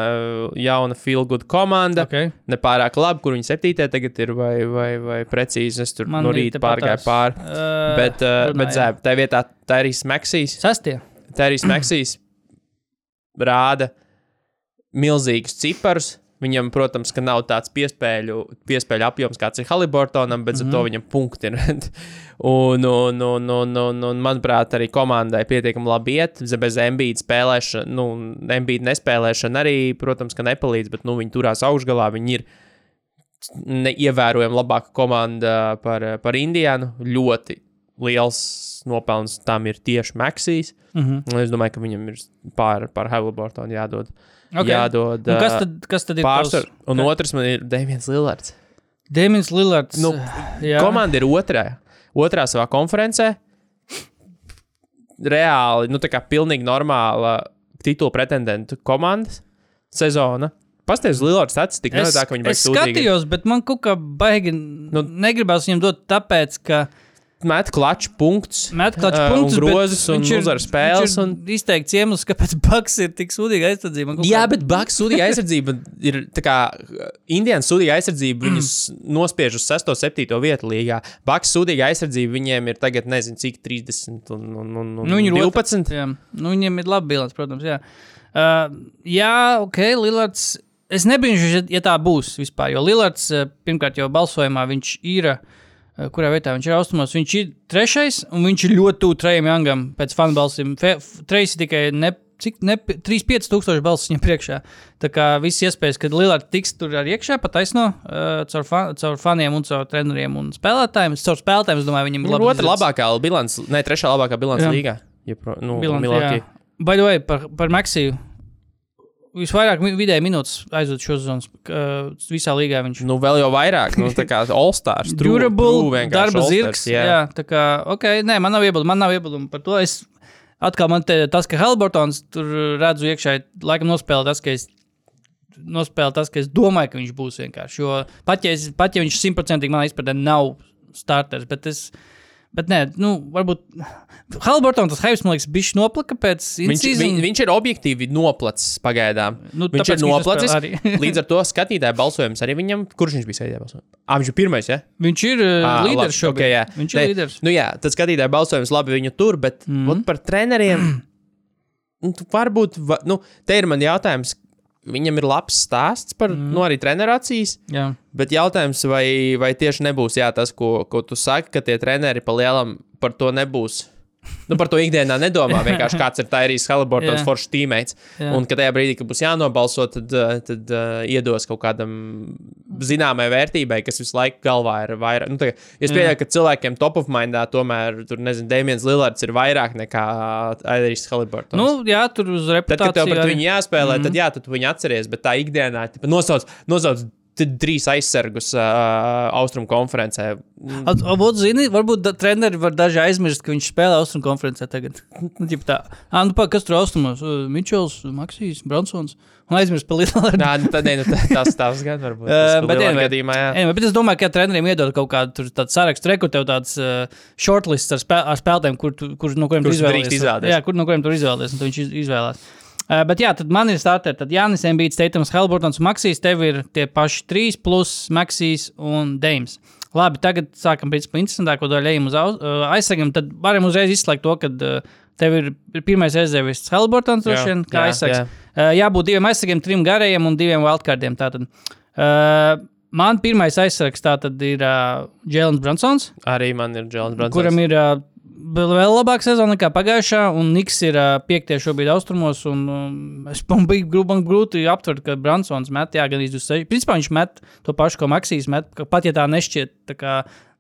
jauna feel good komanda. Okay. Nepārāk labi, kur viņi septītē tagad ir, vai, vai, vai precīzi. Es tur Man no rīta pārgāju pār. Uh, bet uh, runā, bet zēb, tā vietā tā arī Maxijs. Sastie. Tērijs Maxijs rāda milzīgus ciparus. Viņam, protams, ka nav tāds piespēļu, piespēļu apjoms, kāds ir Haliburtonam, bet mm-hmm. ar to viņam punkti ir. un, un, un, un, un, un, manuprāt, arī komandai pietiekami labi iet. Bez Embiida spēlēšana, nu, Embiida nespēlēšana arī, protams, ka nepalīdz, bet nu, viņi turās augšgalā. Viņi ir ievērojami labāka komanda par, par Indiānu. Ļoti liels nopelns tam ir tieši Maxijs. Mm-hmm. Es domāju, ka viņam ir pār, pār Haliburtonu jādod. Okay. Jādod un kas tad, kas tad ir pārsvar? tos? Un otrs man ir Damians Lillards. Damians Lillards. Nu, komanda ir otrā. Otrā savā konferencē. Reāli, nu tā kā pilnīgi normāla titula pretendentu komandas sezona. Pastāv uz Lillards statistiku. Es, tā, ka viņi es skatījos, bet man kaut kā baigi nu, negribās viņam dot tāpēc, ka met klaču punktus, met klaču uh, punktus, un grozus un uzvar spēles. Un... izteikts iemesls, kāpēc Bucks ir tik sūdīga aizsardzība. Jā, bet Bucks sūdīga aizsardzība ir tā kā Indiānas sūdīga aizsardzība, viņus nospiež uz sesto, septīto vietu līgā. Bucks sūdīga aizsardzība, viņiem ir tagad nezinu cik trīsdesmit un, un, un, un nu, divpadsmit. Otr, jā. Nu, viņiem ir labi bilants, protams, jā. Uh, jā, ok, Lillards, es nebrīnšu, ja tā būs vispār, jo Lillards, pirmkārt jau balsojumā viņš ir... kurā vietā viņš ir austrumos, viņš ir trešais, un viņš ir ļoti tuvu Trejam Youngam pēc fanu balsīm. Trejs ir tikai ne, cik, ne, trīs pieci tūkstoši balsis viņam priekšā. Tā kā viss iespējas, ka Lillards tiks tur arī iekšā, pa taisno, uh, caur, fan, caur faniem un caur treneriem un spēlētājiem. Caur spēlētājiem, es domāju, viņam ir labi. Otra labākā bilants, ne, trešā labākā bilants jā. Līgā. Ja, pro, nu, Bilants, by the way, par, par Maxiju. Visvairāk vidēji minūtes aizved šo sezonu uh, visā līgā viņš. Nu, vēl jau vairāk, nu, tā kā All-Stars. Durable, darba zirgs, jā. jā, tā kā, ok, nē, man nav iebildumi, man nav iebildumi par to. Es, atkal man te, tas, ka Haliburtons tur redzu iekšā, laikam nospēlē tas, ka es, nospēlē tas, ka es domāju, ka viņš būs vienkārši, jo pat ja, es, pat ja viņš simtprocentīgi manā izpratnē nav starters, bet es, bet nē, nu, varbūt Haliburton tas hypes, man liekas, bišķi noplaka pēc viņš, viņ, viņš ir objektīvi noplacis pagaidām. Nu, viņš ir noplacis, līdz ar to skatītāju balsojums arī viņam, kurš viņš bija skatītāju balsojums? Ā, viņš ir pirmais, ja? Viņš ir uh, à, līderis šobrīd. Okay, jā. Viņš ir ne, līderis. Nu jā, tad skatītāju balsojums labi viņu tur, bet mm. ot par treneriem, varbūt, va, nu, te ir man jautājums, viņam ir labs stāsts par, mm. nu, arī trenerācijas, jā. Bet jautājums, vai, vai tieši nebūs, jā, tas, ko, ko tu saki, ka tie treneri pa lielam par to nebūs. Nu, par to ikdienā nedomā, vienkārši kāds ir Tyrese Haliburtons foršs teammates. Jā. Un, ka tajā brīdī, kad būs jānobalso, tad, tad uh, iedos kaut kādam zināmai vērtībai, kas visu laiku galvā ir vairāk. Nu, tagad, es pieļauju, ka cilvēkiem top of mindā tomēr, tur, nezinu, Damians Lillards ir vairāk nekā Tyrese Haliburtons. Nu, jā, tur uz reputāciju. Tad, kad tev pret arī... viņu jāspēlē, mm-hmm. tad jā, tad tu viņu atceries, bet tā ikdienā, tipa, nosauc, nosauc trīs aizsargus uh, Austrumu konferencē. Varbūt, zini, varbūt da, treneri var daži aizmirst, ka viņš spēlē Austrumu konferencē tagad. tā. À, nu, pā, kas tur Austrumos? Uh, Mičels, Maksijs, Bransons. Un aizmirst pa Lillardu. Nā, nu, tad, ne, nu, tas tās gan varbūt. Tas uh, bet, anyway, gadījumā, jā. Anyway, bet es domāju, ka treneriem iedod kaut kādu tur tādu sarakstu, reku tev tāds uh, shortlists ar, spēl, ar spēlētēm, kur, tu, kur, no kuriem tu izvēlies. Jā, kur, no kuriem tu izvēlies, un tu viņš izvēlās. Uh, bet jā, tad man ir starteri, tad Jānis Embiids, Tatums, Haliburtons un Maksijs, tev ir tie paši trīs plus Maksijs un Dames. Labi, tagad sākam principā interesantāko daļu ejam uz uh, aizsargam, tad varam uzreiz izslēgt to, ka uh, tev ir pirmais rezervists Haliburtons, droši vien, kā aizsargs. Jā. Uh, jābūt diviem aizsargiem, trim garajiem un diviem wildcardiem, tātad. Uh, man pirmais aizsargs tātad ir uh, Jēlens Bransons. Arī man ir Jēlens Bransons. Kuram ir... Uh, vēl labāka sezona nekā pagājušā, un Niks ir uh, piektie šobrīd austrumos, un um, es man bija grūti, grūti aptvert, ka Bransons met, jā, gan divdesmit seši. Principā viņš met to pašu, ko Maksijs met, pat ja tā nešķiet, tā kā,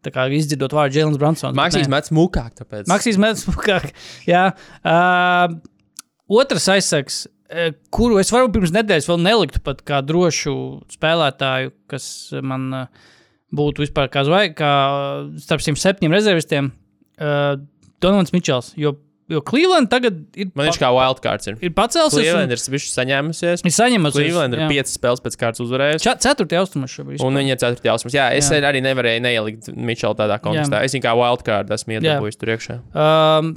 tā kā izdzirdot vārdu Jēlens Bransons. Maksijs met smukāk, tāpēc. Maksijs met smukāk, jā. Uh, otrs aizsargs, uh, kuru es varu pirms nedēļas vēl neliktu pat kā drošu spēlētāju, kas man uh, būtu vispār kā zvaig, kā starp šiem septiņiem rezervistiem, uh, Donovans Mičels, jo, jo Cleveland tagad ir... Man viņš kā wildcards ir. Ir pacelsies. Cleveland ir bišķi saņēmusies. Ir saņēmusies. Cleveland ir piecas spēles pēc kārtas uzvarējusi. Ceturtie austrumos šobrīd. Un viņi ir ceturtie austrumos. Jā, es jā. arī nevarēju neielikt Mičelu tādā kontekstā. Jā. Es viņu kā wildcard esmu iedabūjis tur iekšā. Um,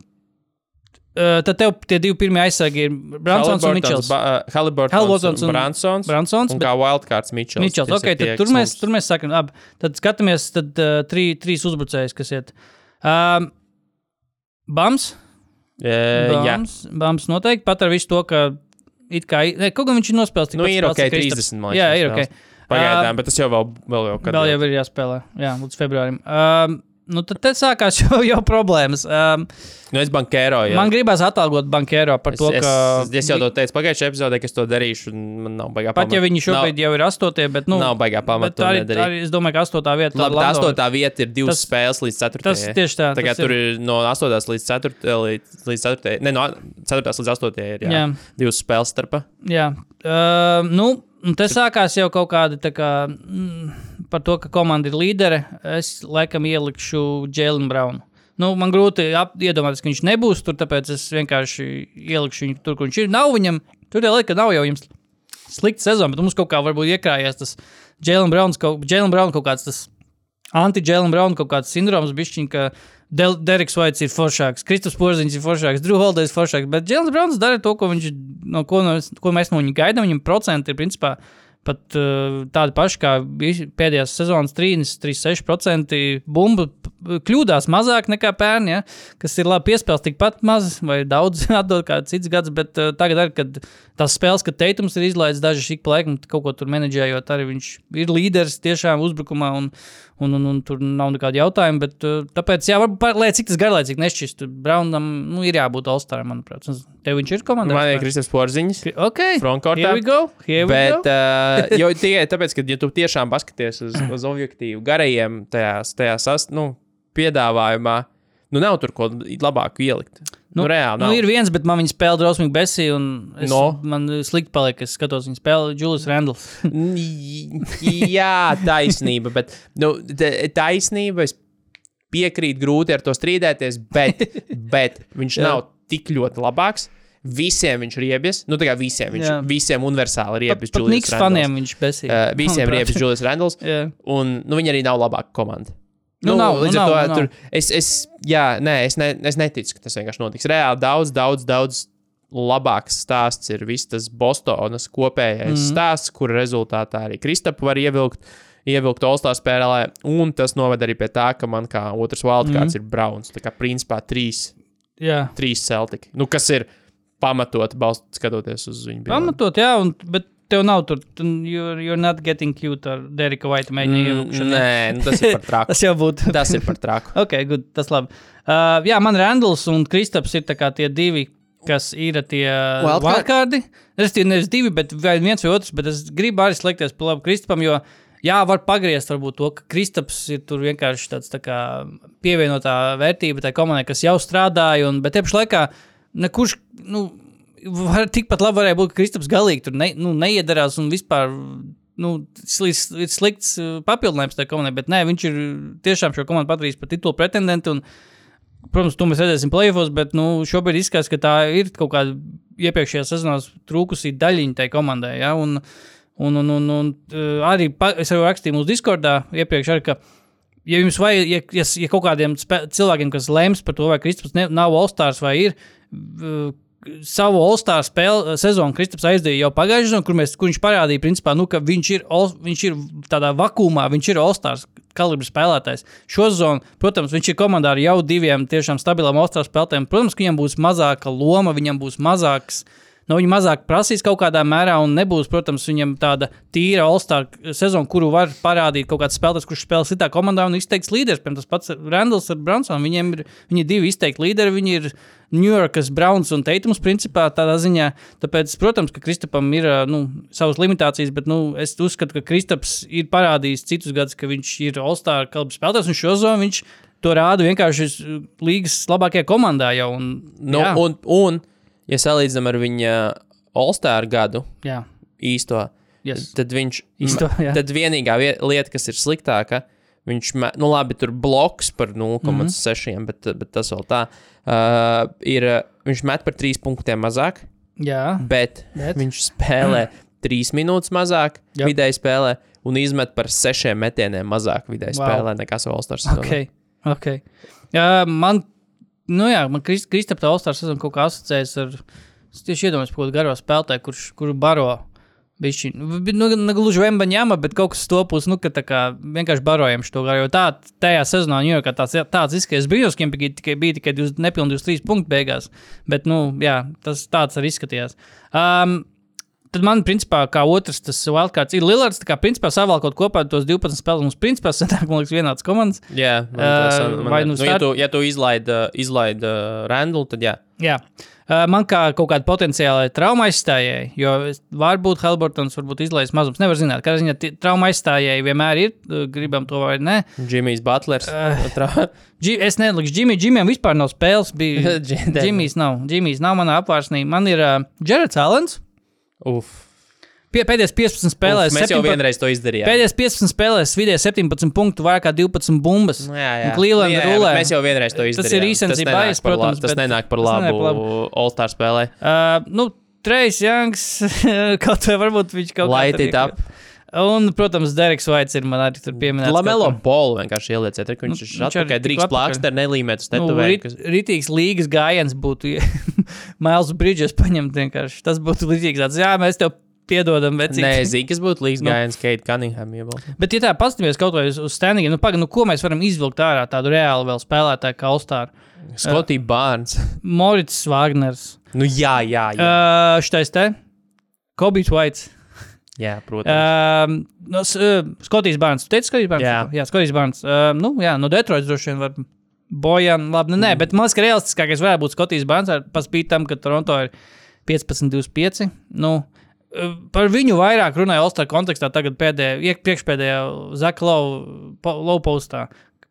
uh, tad tev tie divi pirmie aizsargi ir Bransons un Mičels. Ba, uh, Haliburtons un Bransons. Bransons. Un kā wildcards Mičels. Mičels, ok, tad tur mēs, tur mēs sakam, ab, tad skatāmies, tad uh, trī, trīs uzbrucējus, kas iet. Um, Bams? Uh, Bams, Bams noteikti, pat ar visu to, ka it kā, ne, kaut gan viņš ir nospēlēts. Nu, ir ok, trīsdesmit, man liekas. Jā, ir ok. Pagaidām, uh, bet tas jau vēl, vēl jau kad. Vēl jau ir jāspēlē, jā, līdz februārim. Um, nu, tad te sākās jau, jau problēmas. Um, nu, es bankēro, jā. Man gribās atalgot bankēro par es, to, ka... Es, es jau to teicu pagājušajā epizodē, ka es to darīšu, un man nav baigā pamata. Pat ja viņi šobrīd nav, jau ir astotie, bet, nu... Nav baigā pamata to arī, nedarīt. Arī, es domāju, ka astotā vieta... Labi, tā astotā vieta ir divas tas, spēles līdz ceturtajai. Tas tieši tā. Tagad tur ir no astotās līdz ceturtajai, līdz, līdz ceturtajai, ne, no ceturtās līdz astotajai ir, jā, jā. Divas spēles starpā. Jā. Uh, nu, te sākās jau kaut kādi, tā kā, mm, par to, ka komanda ir līdere, es laikam ielikšu Jaylen Brownu. Nu, man grūti ap, iedomāties, ka viņš nebūs tur, tāpēc es vienkārši ielikšu viņu tur, kur viņš ir. Nav viņam, tur jau liek, ka nav jau jums slikta sezona, bet mums kaut kā varbūt iekrājies tas Jaylen Browns, kaut, Jaylen Brown kaut kāds tas anti-Jaylen Brown kaut kāds sindroms bišķiņ, ka Del, Deriks Vaits ir foršāks, Kristaps Porziņš ir foršāks, Drew Holiday ir foršāks, bet Jaylen Browns dara to, ko, viņš, no, ko, no, ko mēs no viņa gaidām, viņam procenti ir principā pat uh, tādi paši kā pēdējās sezonas trīs, trīs, seši procenti bumbu kļūdās mazāk nekā pērn, ja, kas ir labi piespēles tikpat maz vai daudz atdod kā cits gads, bet uh, tagad arī, kad tās spēles, kad Tatums ir izlaidis daži šik pa laikam, kaut ko tur menedžējot, arī viņš ir līderis tiešām uzbrukumā un, un, un, un tur nav nekādi jautājumi, bet uh, tāpēc, jā, varbūt, lai cik tas garlaicīgi nešķist, Brownam, nu, ir jābūt All-Staram, manuprāt. Tev viņš ir komandā? Man ir Kristaps Porziņš. Ok, frontkortā. Here we go, here we bet, go. uh, jo tikai tāpēc, ka ja tu tiešām paskaties uz, uz objektīvu garajiem tajās, tajās ast, nu, piedāvājumā, nu nav tur ko labāku ielikt. Nu, nu reāli nav. Nu ir viens, bet man viņa spēle drausmīgi besī, un es, no. man slikti paliek, es skatos viņa spēli Julius Randles. Jā, taisnība, bet nu, taisnība, es piekrītu grūti ar to strīdēties, bet, bet viņš nav tik ļoti labāks. Visiem viņš riebies, nu tā kā visiem, viņš jā. Visiem universāli riebies pat, Julius Randles. Pat Niks faniem viņš besī. Uh, visiem riebies Julius Randles, un nu, viņi arī nav labāka komanda. Nu, nu, nav, līdz nu, ar to, nav, tur, es, es, jā, nē, es, ne, es neticu, ka tas vienkārši notiks. Reāli daudz, daudz, daudz labāks stāsts ir viss tas Bostonas kopējais mm. stāsts, kur rezultātā arī Kristapu var ievilkt, ievilkt All-Star spēlē, un tas noved arī pie tā, ka man kā otrs wildcards mm. ir Browns. Tā kā principā trīs, jā. trīs Celtic. Nu, kas ir pamatot, balst, skatoties uz viņu. Pamatot, jā, un, bet tev nav tur, you're, you're not getting cute ar Derika White mēģina mm, ievukšanu. Nē, nu, tas ir par traku. Tas jau būtu. Tas ir par traku. Ok, good, tas labi. Uh, jā, man Randalls un Kristaps ir tā kā tie divi, kas ir tie wildcardi. Es tie nevis divi, bet viens vai otrs, bet es gribu arī slēgties par labu Kristapam, jo jā, var pagriezt varbūt to, ka Kristaps ir tur vienkārši tāds tā kā pievienotā vērtība tai komandai, kas jau strādāja, un, bet tieši laikā nekurš, nu, var, tikpat labi varēja būt, ka Kristaps galīgi tur ne, nu, neiedarās un vispār nu, ir slikts papildinājums tajā komandai, bet nē, viņš ir tiešām šo komandu padarījis par titulu pretendentu un, protams, to mēs redzēsim play-offos, bet nu, šobrīd izskatās, ka tā ir kaut kāda iepriekšējā sezonās trūkusī daļiņa tai komandai, ja, un, un, un, un, un arī pa, es jau rakstīju mūsu Discordā iepriekš arī, ka ja jums vajag, ja, ja, ja kaut kādiem spē, cilvēkiem, kas lems par to, vai Kristaps ne, nav All-Stars vai ir, savu All-Star spēle sezonu Kristaps aizdīja jau pagājušajā sezonā, kur, mēs, kur viņš parādīja, principā, nu, ka viņš ir, all, viņš ir tādā vakumā, viņš ir All-Stars kalibra spēlētājs. Šo sezonu, protams, viņš ir komandā ar jau diviem tiešām stabilām All-Star spēlētājiem. Protams, ka viņam būs mazāka loma, viņam būs mazāks, no viņa mazāk prasīs kaut kādā mērā un nebūs, protams, viņam tāda tīra All-Star sezona, kuru var parādīt kaut kāds spēlētājs, kurš spēlē citā komandā un izteikts līderis. Piemēram, tas pats Randalls ar Brunsonu, viņiem ir, viņi ir divi izteikti līderi, viņi ir New Yorkas Browns un Tatums principā tādā ziņā. Tāpēc, protams, ka Kristapam ir nu, savas limitācijas, bet nu, es uzskatu, ka Kristaps ir parādījis citus gadus, ka viņš ir All-Star kalibra spēlētājs un šo zonu viņš to rāda vienkārši līgas labākajā komandā jau. Un, nu, un, un, ja salīdzinām ar viņa All-Star gadu jā. īsto, yes. tad viņš, īsto, tad vienīgā lieta, kas ir sliktāka, viņš, nu labi, tur bloks par nulle komats seši, mm-hmm. bet, bet tas vēl tā, uh, ir, viņš met par trīs punktiem mazāk, jā, bet, bet viņš spēlē trīs minūtes mazāk yep. vidēji spēlē un izmet par sešiem metieniem mazāk vidēji wow. spēlē nekā savu All-Star sezonu. Ok, ok. Uh, man, nu jā, man Krist, Kristap tā All-Star sezonu kaut kā asociējas ar, es tieši iedomājos par kaut garo spēlētāju, kurš, kuru baro bišķi, nu, negluži Vembaņama, bet kaut kas stopus, nu, ka tā kā vienkārši barojam šo garu, jo tā, tajā sezonā New Yorkā tāds, tāds izskaties brīžos, ka bija tikai, bija tikai nepilni divdesmit trīs punkti beigās, bet, nu, jā, tas tāds arī izskatījās. Um, tad man, principā, kā otrs tas wildcards ir Lillards, tā kā, principā, savalkot kopā tos divpadsmit spēles, mums, principā, sanāk, man liekas, vienāds komandas. Jā, man, tas, man, uh, vai nu, nu, ja tu, ja tu izlaid, izlaid uh, Randall, tad jā. Jā. Uh, man kā kaut kāda potenciāla trauma aizstājēji, jo varbūt Haliburtons varbūt izlaiž mazums, nevar zināt, kādā ziņā t- trauma aizstājēji vienmēr ir, gribam to vai ne. Jimmy's Butlers. Uh, G- es nelikšu Jimmy, Jimmyam vispār nav spēles, bija Jimmy's nav, Jimmy's nav manā apvārsnī, man ir uh, Jareds Allens. Uf. Pie, pēdējās piecpadsmit spēlēs. Uf, mēs jau vienreiz to izdarījām. Pēdējās piecpadsmit spēlēs vidēji septiņpadsmit punktu, vairāk kā divpadsmit bumbas. Nu, jā, jā. Un Cleveland jā, jā, rulē. Mēs jau vienreiz to izdarījām. Tas ir recency bias, protams. Tas nenāk par labu, labu. All-Star spēlē. Uh, nu, Trace Youngs, kaut vai varbūt viņš kaut kā... Light it up. Un, protams, Dereks Vaits ir man arī tur pieminēts. Lamelo Ball vienkārši ielieciet, ka viņš ir atpakaļ drīkst plākster nelīmēt uz tetovēju. Nu, rit, ritīgs līgas gājiens būtu Miles Bridges paņemt vienkārši. Tas būtu līdzīgs tāds, jā, mēs tev piedodam vecīt. Nē, Zīkas būtu līdz gājiens nu, Kate Cunningham iebalst. Bet, ja tā pastamies kaut vai uz, uz standingiem, nu, paga, nu, ko mēs varam izvilkt ārā tādu reāli vēl spēlētāju kā All-Star? Scottie uh, Barnes. Moritz Wagners. Nu, jā, jā, jā. Uh, šitais te? Kobe White. Jā, protams. Uh, no, uh, Scotties Barnes. Tu teici Scotties Barnes? Jā. Jā, Scotties Barnes. Uh, nu, jā, no Detroits droši vien var Bojan, labi, nu, nē, mm. bet man liekas, ka realistiskākais varētu būt Scotties Barnes, paspīt tam, ka Toronto ir piecpadsmit divdesmit pieci. Nu, par viņu vairāk runāja All-Star kontekstā tagad pēdējā, priekšpēdējā Zaka Low postā,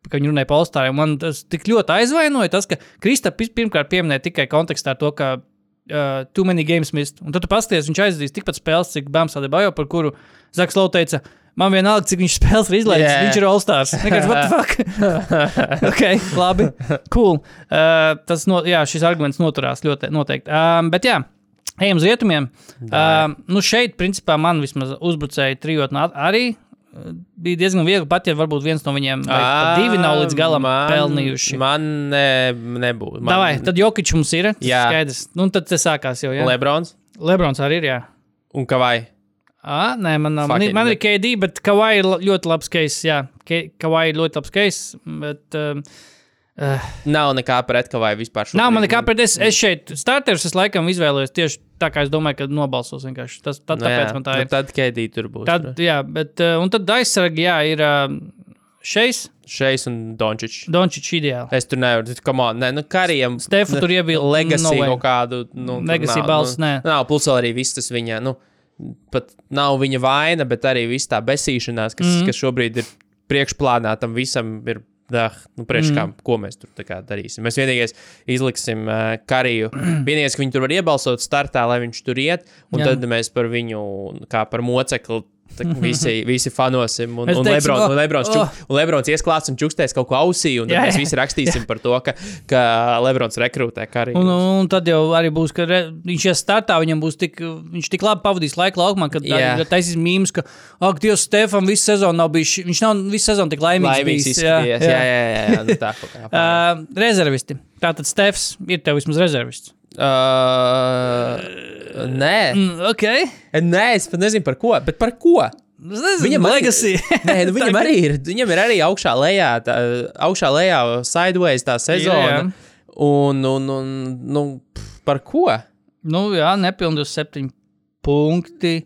ka viņi runāja par All-Stariem. Man tas tik ļoti aizvainoja tas, ka Kristaps pirmkārt pieminēja tikai kontekstā to, ka uh, too many games missed. Un tad tu pasties, viņš aizdīs tikpat spēles, cik Bams Adebayo, par kuru Zaks Low teica, man vienalga, cik viņš spēles ir izlaidis, yeah. viņš ir All-Stars. Nekāds, what the fuck? ok, labi, cool. Uh, tas, no, jā, šis arguments noturās ļoti noteikti. Um, bet jā, ejam uz rietumiem. Uh, nu šeit, principā, man vismaz uzbrucēja trijotni arī uh, bija diezgan viegli, pat ja varbūt viens no viņiem vai pat divi nav līdz galam man, pelnījuši. Man ne, nebūtu. Man... Davai, tad Jokič mums ir, tas jā. Skaidrs. Nu, tad te sākās jau, jā. Lebrons? Lebrons arī ir, jā. Un Kawai? Ā, nē, man nav. Man, man ir K D, bet Kawai ir ļoti labs case, jā. Kawai ir ļoti labs case, bet... Um, Uh, nav nekā pret Kavai vispār. Nav man nekā pret. Es, es šeit starters es laikam izvēlējos tieši tā, kā es domāju, ka nobalsos vienkārši. Tas, tad, nu, tāpēc jā, man tā ir. Nu, tad K D tur būs. Tad, jā, bet, uh, un tad aizsargi, jā, ir uh, Šeis. Šeis un Dončičs. Dončičs ideāli. Es tur nevaru, come on, ne, nu Karijam. Stefu tur iebil. Legacy no kaut kādu. Nu, Legacy balss, nu, nē. Nav, plus vēl arī viss tas viņa, nu, pat nav viņa vaina, bet arī viss tā besīšanās, kas, mm. kas šobrīd ir priekšplānā, tam visam ir. Dah, nu, priekš kā, mm. ko mēs tur tā kā darīsim. Mēs vienīgais izliksim uh, Kariju. Vienīgais, ka viņi tur var iebalsot startā, lai viņš tur iet, un Jā. Tad mēs par viņu kā par mocekli visi, visi fanosim, un, un, Lebron, oh, un, Lebrons, čuk, oh. un Lebrons iesklāts un čukstēs kaut ko ausī, un tad jā, mēs visi rakstīsim jā. Par to, ka, ka Lebrons rekrūtē Kariju. Un, un tad jau arī būs, ka re, viņš ies startā, viņam būs tik, viņš tik labi pavadīs laiku laukumā, kad yeah. taisīs mīmus, ka, ak, Dievs, Stefan visu sezonu nav bijis, viņš nav visu sezonu tik laimīgs, laimīgs bijis. Jā, jā, jā, jā, jā, jā, nu tā. uh, rezervisti. Tātad Stefs ir tev vismaz rezervists. Uh, nē. Mm, ok. Nē, es pat nezinu par ko, bet par ko? Nezinu, viņam legacy. Nē, nu viņam arī ir, viņam ir arī augšā lejā, tā, augšā lejā sideways tā sezona. Jā, jā. Un, un, un, nu, par ko? Nu, jā, nepilni divdesmit septiņi punkti.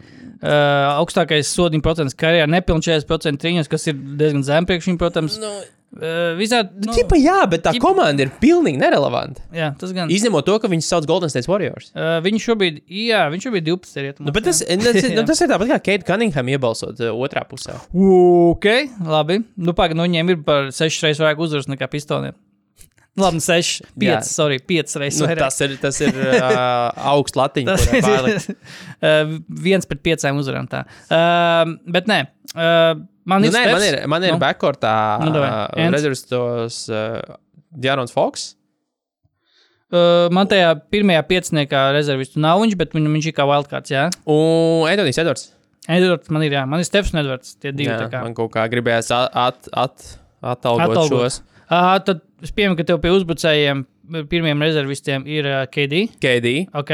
Uh, augstākais sodiņu procents karjerā, nepilni četrdesmit procenti trīņos, kas ir diezgan zem priekš viņam, protams. Nu, uh, visādi, nu, ķipa jā, bet tā ķipa... komanda ir pilnīgi nerelevanta. Jā, tas gan. Izņemot to, ka viņus sauc Golden State Warriors. Uh, viņš šobrīd, jā, viņš šobrīd divpadsmit ir. Nu, bet tas, tas, nu, tas ir tāpat kā Kate Cunningham iebalsot uh, otrā pusē. Ok, labi. Nu, pagaid, nu, viņiem ir par sešas reizes vairāk uzvaras nekā Pistoniem. Labi, seši, pieci, sorry, pieci reizes nu, vairāk. Tas ir, tas ir uh, augsts latiņš, kurā pārlikt. uh, viens pret piecām uzvarām tā. Uh, bet nē, uh, man nu, ir nē, Stefs. Man ir, man ir nu? backcourtā nu, uh, rezervistos uh, De'Aaron Fox. Uh, man tajā pirmajā pieciniekā rezervistu nav viņš, bet viņam viņš ir kā wildcards, jā. Un Anthony's Edwards. Edwards man ir, jā. Man ir Stefs un Edwards, tie divi jā, tā kā. Man kaut kā gribējās at, at, at, atalgot, atalgot šos. Uh, tad es pieņemu, ka tev pie uzbrucējiem pirmiem rezervistiem ir uh, K D. K D. Ok.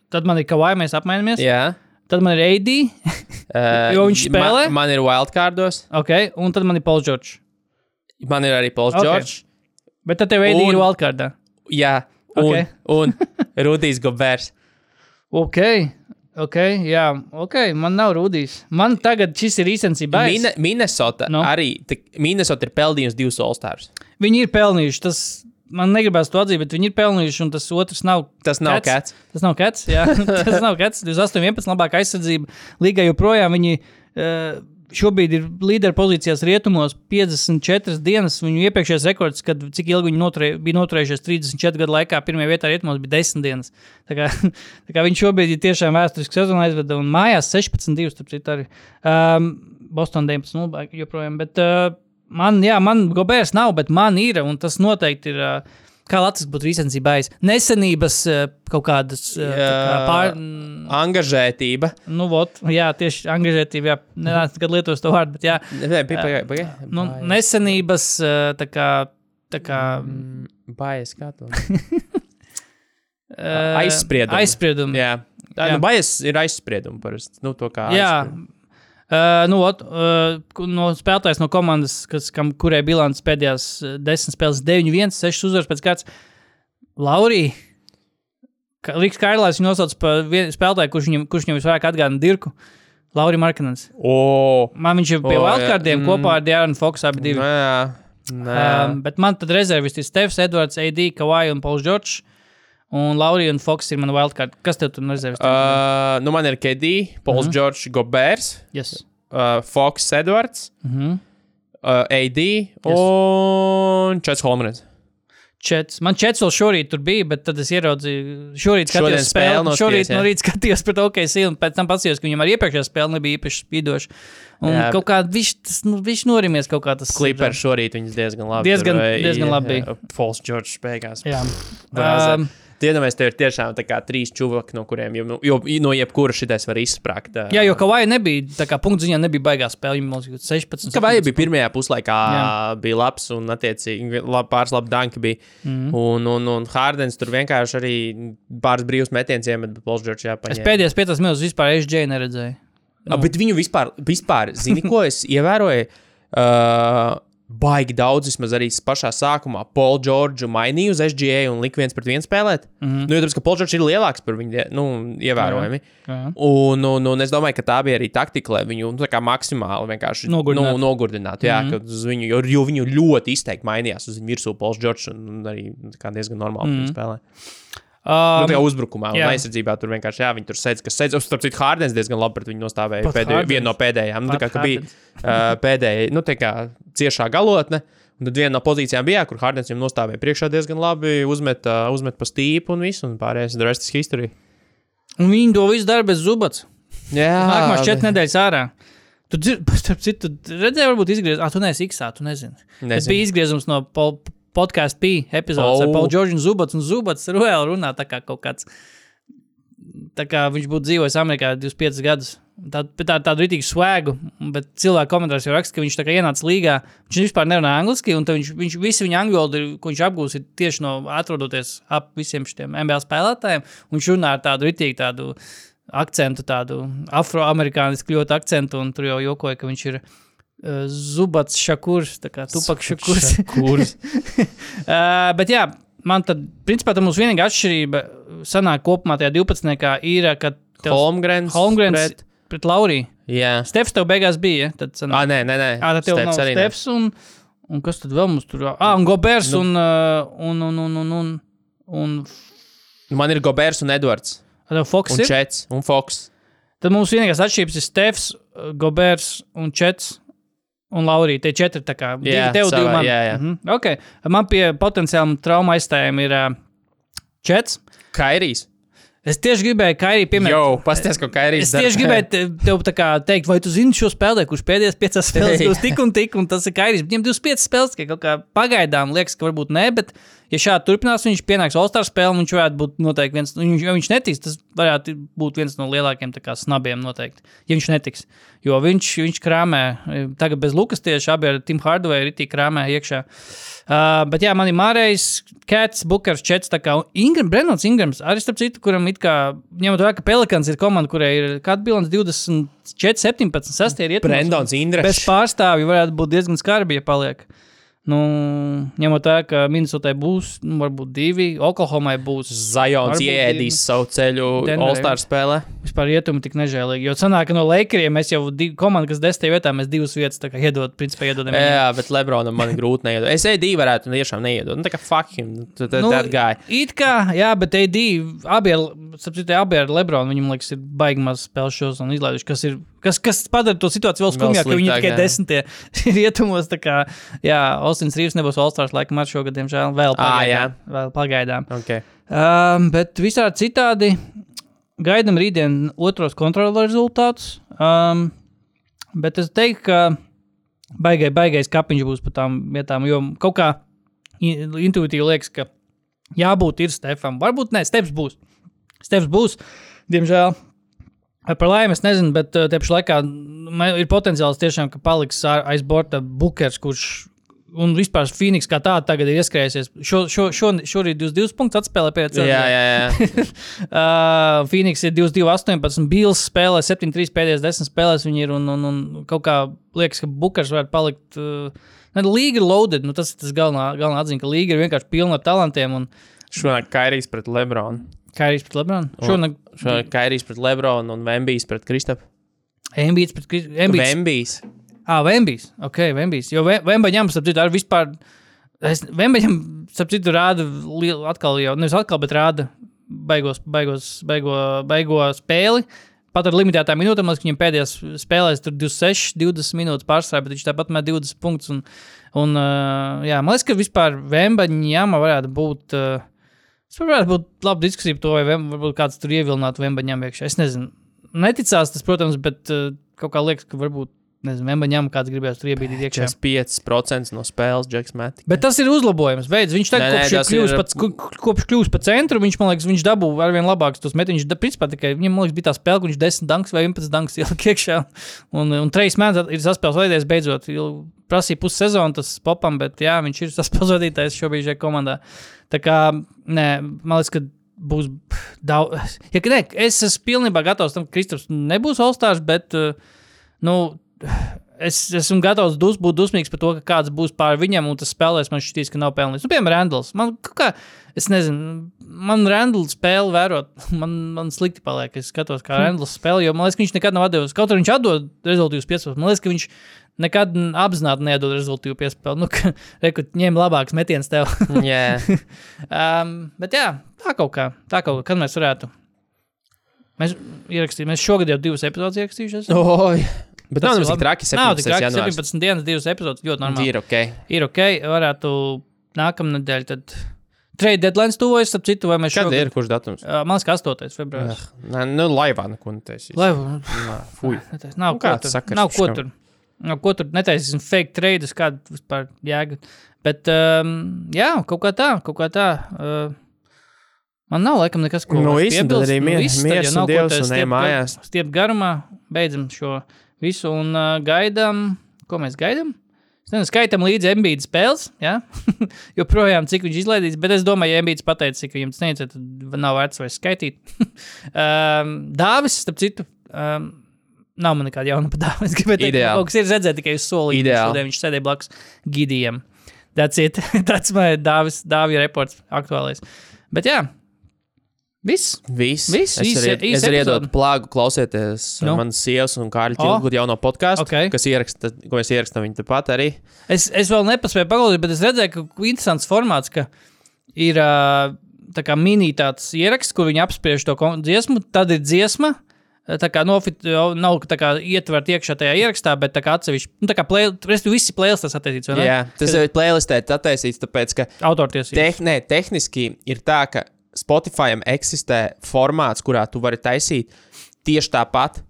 Tad man ir Kawhi, mēs apmainamies. Jā. Tad man ir A D, uh, jo viņš spēlē. Man, man ir wildcardos. Ok. Un tad man ir Pauls George. Man ir arī Pauls okay. George. Bet tad tev A D un, ir wildcardā. Jā. Un, okay. un Rudijs Gobers. Ok. Ok, jā, ok, man nav Rudijs. Man tagad šis ir īstenībā bailes. Mine, Minnesota no. arī, te, Minnesota ir pelnījusi divus All-Stars. Viņi ir pelnījuši, tas, man negribās to atzīt, bet viņi ir pelnījuši, un tas otrs nav Tas nav Cats. Tas nav Cats, jā, tas nav Cats. divdesmit astoņi vienpadsmit labākā aizsardzība. Līgai joprojām viņi uh, šobrīd ir līderu pozīcijās rietumos piecdesmit četras dienas. Viņu iepriekšējais rekords, kad cik ilgi viņi noturē, bija noturējušies trīsdesmit četru gadu laikā, pirmajā vietā rietumos bija desmit dienas. Tā kā, tā kā viņi šobrīd ir tiešām vēsturisku sezonu aizveda un mājās sešpadsmit divi, starp citu arī. Um, Boston deviņpadsmit nulle joprojām, bet uh, man, jā, man Gobers nav, bet man ir, un tas noteikti ir... Uh, Kā Latvijas būtu īstenībā aiz nesenības kaut kādas kā pār... Angažētība. Nu, vot, jā, tieši angažētība, jā. Nenāc, kad lietos to vārdu, bet jā. Nē, pagaid, pagaid. Nu, nesenības, tā kā... Tā kā... Bājas, kā to? Aizspriedumi. Aizspriedumi. Jā. Tā, nu, bājas ir aizspriedumi parasti. Nu, to kā jā. Uh, nu, ot, uh, no spēlētājs no komandas, kas, kam, kurai bilants pēdējās desmit spēles deviņi viens, sešas uzvaras pēc kāds Laurī. Riks Kairlājs viņu nosauc par spēlētāju, kurš viņam, kurš viņam visvairāk atgādina Dirku. Lauri Markkanens. Oh. Man viņš ir pie oh, wildcardiem mm. kopā ar De'Aaron Fox abi divi. Nē, nē. Um, bet man tad rezervisti ir Stefs, Edwards, A D, Kawhi un Pauls George. Un Lauri un Fox ir mana wildcard. Kas tev tur rezervisti? Uh, nu man ir K D, Pauls mm-hmm. George, Gobers, yes. uh, Fox, Edwards, mm-hmm. uh, A D yes. un Čets Holmgren. Čets. Man Čets vēl šorīt tur bija, bet tad es ieraudzīju, šorīt skatījos spēli, no šorīt no rīt skatījos pret O K C un pēc tam patsījos, ka viņam arī iepriekšējā spēle nebija īpaši spīdoša. Un jā, kaut kā viņš, tas, nu, viņš norimies kaut kā tas. Clipper šorīt viņas diezgan labi. Diezgan, tur, diezgan labi bija. Pauls George spēkās. Jā. Um, Tiedomēs, te ir tiešām tā kā trīs čuvaki, no kuriem jau, jo, no jebkura šitais var izsprākt. Jā, jo Kawhi nebija, tā kā punktu ziņā nebija baigā spēle, viņam mums sešpadsmit. Kawhi bija pirmajā puslaikā, jā. bija labs un attiecīgi lab, pāris labi danki bija. Mm-hmm. Un, un, un Hardens tur vienkārši arī pāris brīvs metiens iemet, bet Pauls George jāpaņēma. Es pēdējās piecās minūtes vispār S J neredzēju. Nu. A, bet viņu vispār, vispār, zini, ko es ievēroju? Uh, baigi daudz, vismaz arī pašā sākumā, Paul George mainīja uz S G A un lika viens pret viens spēlēt. Mm-hmm. Nu, jo tāpēc, ka Paul George ir lielāks par viņu, nu, ievērojami. Jā, jā. Un, un, un es domāju, ka tā bija arī taktika, lai viņu, nu, tā kā maksimāli vienkārši nogurdināt. Nu, nogurdinātu. Jā, mm-hmm. ka uz viņu, jo, jo viņu ļoti izteikti mainījās uz viņu virsū Paul George un arī kā diezgan normāli mm-hmm. spēlē. Um, nu, tā kā uzbrukumā un jā. Aizsardzībā tur vienkārši, jā, viņi tur sēdz, kas sēdz. Starp citu, Hardens diezgan labi pret viņu nostāvēja pēdējo, vienu no pēdējām. Nu, tā kā, ka bija uh, pēdējai, nu, tā kā ciešā galotne. Un tad viena no pozīcijām bija, kur Hardens viņam nostāvēja priekšā diezgan labi, uzmet, uh, uzmet pa stīpu un visu, un pārējais the rest is history. Un viņi to visu dara bez Zubats. Jā. Nākamās četras nedēļas ārā. Tu dzird, starp citu, redzēji varbūt izgriez, ah, tu neesi X-ā, tu nezini. Nezinu. Tas bija izgriezums no Paul Podcast P epizodes oh. ar Paul George un Zubats, un Zubats vēl runā tā kā kaut kāds, tā kā viņš būtu dzīvojis Amerikā divdesmit piecus gadus. Tā, tā, tādu ritīgu svēgu, bet cilvēku komentārs jau raksta, ka viņš tā kā ienāca līgā, viņš vispār nerunā angliski, un viņš, viņš visi viņa angļu valodu, ko viņš apgūs, ir tieši no atrodoties ap visiem šitiem N B A spēlētājiem, un viņš runā ar tādu ritīgu tādu akcentu, tādu afroamerikānisku ļoti akcentu, un tur jau jokoja, ka viņš ir Uh, Zubats Šakurs, tā kā Tupak Šakurs. Šakurs. uh, bet jā, man tad, principā, tā mums vienīgā atšķirība sanāk kopumā tajā divpadsmitniekā ir, ka tev Holmgrens, Holmgrens pret, pret Lauriju. Jā. Stefs tev beigās bija, ja? Tad sanāk. Ā, nē, nē, nē. Ā, tad tev Stefs nav Stefs un, un kas tad vēl mums tur? Ā, un Gobers nu. un, un, un, un, un, un, un... Man ir Gobers un Edwards. A, tev Fox un ir? Un Čets, un Fox. Tad mums vienīgās atšķirības ir Stefs, Gobers un Čets. Un Laurija, tie četri tā kā, divi jā, tev, divi man. Jā, jā. Mm-hmm. Okay. Man pie potenciāli trauma aizstājiem ir uh, Čets. Kairijs. Es tieši gribēju Kairiju pieminēt. Jo, pasties, ko Kairijs Es tieši gribēju te, tev tā kā teikt, vai tu zini šo spēlē, kurš pēdējās piecās spēles būs tik un tik, un tas ir Kairijs. Viņam divdesmit piecas spēles, ka kaut kā pagaidām liekas, ka varbūt ne, bet ja šādi turpinās, viņš pienāks All-Star spēli, viņš varētu būt noteikti viens, ja viņš netiks, tas varētu būt viens no lielākiem tā kā snabiem noteikti, ja viņš netiks. Jo viņš, viņš krāmē, tagad bez Lukas tieši, abi ar Tim Hardaway ritī krāmē iekšā. Uh, bet jā, man ir Mārējs, Cats, Bukers, Čets, tā kā Ingram, Brennons Ingrams, arī starp citu, kuram it kā, ņemot vērā, ka Pelikans ir komanda, kurai ir kāda bilants divdesmit četri, septiņpadsmit, sastie ir ietumos. Brennons Ingrams. Bez pārstāvju varētu būt diezgan skarbi, ja paliek. Nu, ņemot vērā, ka Minnesotai būs, nu, varbūt divi, Oklahomai būs. Zajons ieēdīs savu ceļu All-Star spēlē. Vispār ietumi tik nežēlīgi, jo sanāk, ka no Lakeriem mēs jau div, komanda, kas desmitajā vietā, mēs divas vietas tā kā iedod, principā iedodam. Jā, bet Lebronam man grūti neiedod. Es A D varētu un tiešām neiedod. Nu, tā kā fuck him, that, nu, that guy. It kā, jā, bet A D, abi ar, sapcīt, abi ar Lebronu, viņam liekas, ir baigi maz spēles šos un izlaiduši, kas ir, kas, kas padara to situāciju vēl skumjāk, ka viņi tikai jā. desmitie ir ietumos, tā kā, jā, Austins Rīvs nebūs All-Stars laikam ar šogad, diemžēl, vēl pagaidām. À, vēl pagaidām. Okay. Um, bet visādi citādi gaidam rītdien otros kontrola rezultātus, um, bet es teiktu, ka baigai, baigais kapiņš būs pa tām vietām, jo kaut kā intuitīvi liekas, ka jābūt ir Stefam. Varbūt ne, Stefs būs. Stefs būs, diemžēl. Par laimi es nezinu, bet te pašā laikā ir potenciāls tiešām, ka paliks aiz borta Bukers, kurš un vispār Phoenix kā tāda tagad ir ieskrējusies. Šo, šo, šo, šorīt divdesmit divus punktus atspēlē pēc. Jā, jā, jā. uh, Phoenix ir divdesmit divi astoņpadsmit, Bills spēlē septiņdesmit trīs pēdējās desmit spēlēs viņi ir un, un, un kaut kā liekas, ka Bukers varētu palikt. Uh, ne, līga ir loaded, nu tas ir tas galvenā, galvenā atziņa, ka līga ir vienkārši pilna ar talantiem. Un... Šonāk Kairijs pret Lebronu. Kairijs pret Lebronu? Šonāk, šonāk Kairijs pret Lebronu un Vembijs pret Kristapu. Vembijs pret Kristapu. Vembijs. Ā, Vembijs, ok, Vembijs, jo Vembaņam, starp citu, ar vispār, es, Vembaņam, starp citu, rāda, atkal jau, nevis atkal, bet rāda baigos, baigos, baigo, baigo spēli, pat ar limitētām minūtēm, lai viņam pēdējās spēlēs tur divdesmit seši, divdesmit minūtes pārstrāja, bet viņš tāpat met divdesmit punktus, un, un uh, jā, man liekas, ka vispār Vembaņam varētu būt, uh, es varētu būt laba diskusija par to, vai Vem, varbūt kāds tur ievilinātu Vembaņam iekšā, es nezinu, neticās tas, protams, bet uh, kaut kā liekas, ka varbūt nezinu, Vembaņam kāds gribēs tur iebīdīt iekšā. četrdesmit pieci procenti no spēles Džeks met. Bet tas ir uzlabojums. Beidz, viņš tagad nē, kopš, nē, kļūs ir... pa, kopš kļūs pa centru, viņš, man liekas, viņš dabū arvien labāks tos metiņus. Principā tikai, viņam, man liekas, bija tā spēle, ka viņš desmit danks vai vienpadsmit danks ielika iekšā. Un, un Trejs Mans ir saspēles vadītājs beidzot. Prasīja pusi sezonu tas popam, bet jā, viņš ir saspēles vadītājs šobrīd šajā komandā. Tā kā, nē, man liekas, ka būs daudz. Ja, ne, es esmu pilnībā gatavs tam, ka Kristaps nebūs All-Stars, bet, nu, es esmu gatavs dus, būt dusmīgs par to, ka kāds būs pār viņam, un tas spēlēs man šķitīs, ka nav pelnījis. Nu, piemēram, Randalls. Man kā, es nezinu, man Randalls spēli vērot, man, man slikti paliek, es skatos, kā Randalls spēli, jo man liekas, ka viņš nekad nav atdevis. Kaut arī viņš atdod rezultīvus piespēles, man liekas, ka viņš nekad apzināti neatdod rezultīvu piespēli. Nu, ka, reku, ņem labāks metiens tev. Jā. um, bet jā, tā kaut kā, tā kaut kā, kad mēs varētu. Mēs ierakstījām, mēs šogad jau divas epizodes ierakstījušies. Oi. Bet tas nav nemaz tik traki, nav tik septiņpadsmitais traki, janvārs. septiņpadsmit dienas, divas epizodes, ļoti normāli. Ir ok. Ir ok, varētu nākamnedēļ tad trade deadlines tuvojas, ap citu, vai mēs Kad šogad... ir, kurš datums? Uh, man liekas, ka astotais februāris. Nē, nu, laivā neko netaisīs. Laiva, Fuj. nav Nu, ko kāds tur, sakars nav ko viskam? tur, nav ko tur netaisīsim fake trades, kāda vispār jēga. Bet, um, jā, kaut kā tā, kaut kā tā. Uh, man nav laikam nekas, ko Nu, vairs viss, tad piebilst. arī mier- viss, tad, miers ja un nav ko Dievs te un ej stiept mājās. gar- Stiept garumā, beidzam šo visu un uh, gaidām, ko mēs gaidām? Es nezinu, skaitam līdzi Embiida spēles, jā? Joprojām, cik viņš izlaidīs, bet es domāju, ja Embiids pateica, ka viņam tas neiecē, tad nav vērts vairs skaitīt. um, Dāvis, starp citu, um, nav man nekāda jauna pa Dāvis. Es gribēju teikt, Ideāli. kaut kas ir redzēt tikai uz solīti. Ideāli. Šodien viņš sēdēja blakus Gidijam. That's it. That's my Dāvis, Dāvija reports aktuālais. Bet jā, viss. Viss. Viss, Es īs- arī, īs es arī epizode. iedotu plāgu klausieties Nu? no. manas sievas un Kārļa O. Tilgut jauno podcastu, Ok. kas ieraksta, ko mēs ierakstām viņa tepat arī. Es, es vēl nepaspēju paklausīt, bet es redzēju, ka interesants formāts, ka ir ā, tā kā mini tāds ieraksts, kur viņi apspriež to kon- dziesmu, tad ir dziesma, tā kā nofit, jau nav tā kā ietvert iekšā tajā ierakstā, bet tā kā atsevišķi, nu tā kā play, restu visi playlistas attiecīts, vai ne? Jā, tas ir playlistē attaisīts, tāpēc, ka Autortiesības. teh, ne, tehniski ir tā, ka Spotify'am eksistē formāts, kurā tu vari taisīt tieši tāpat,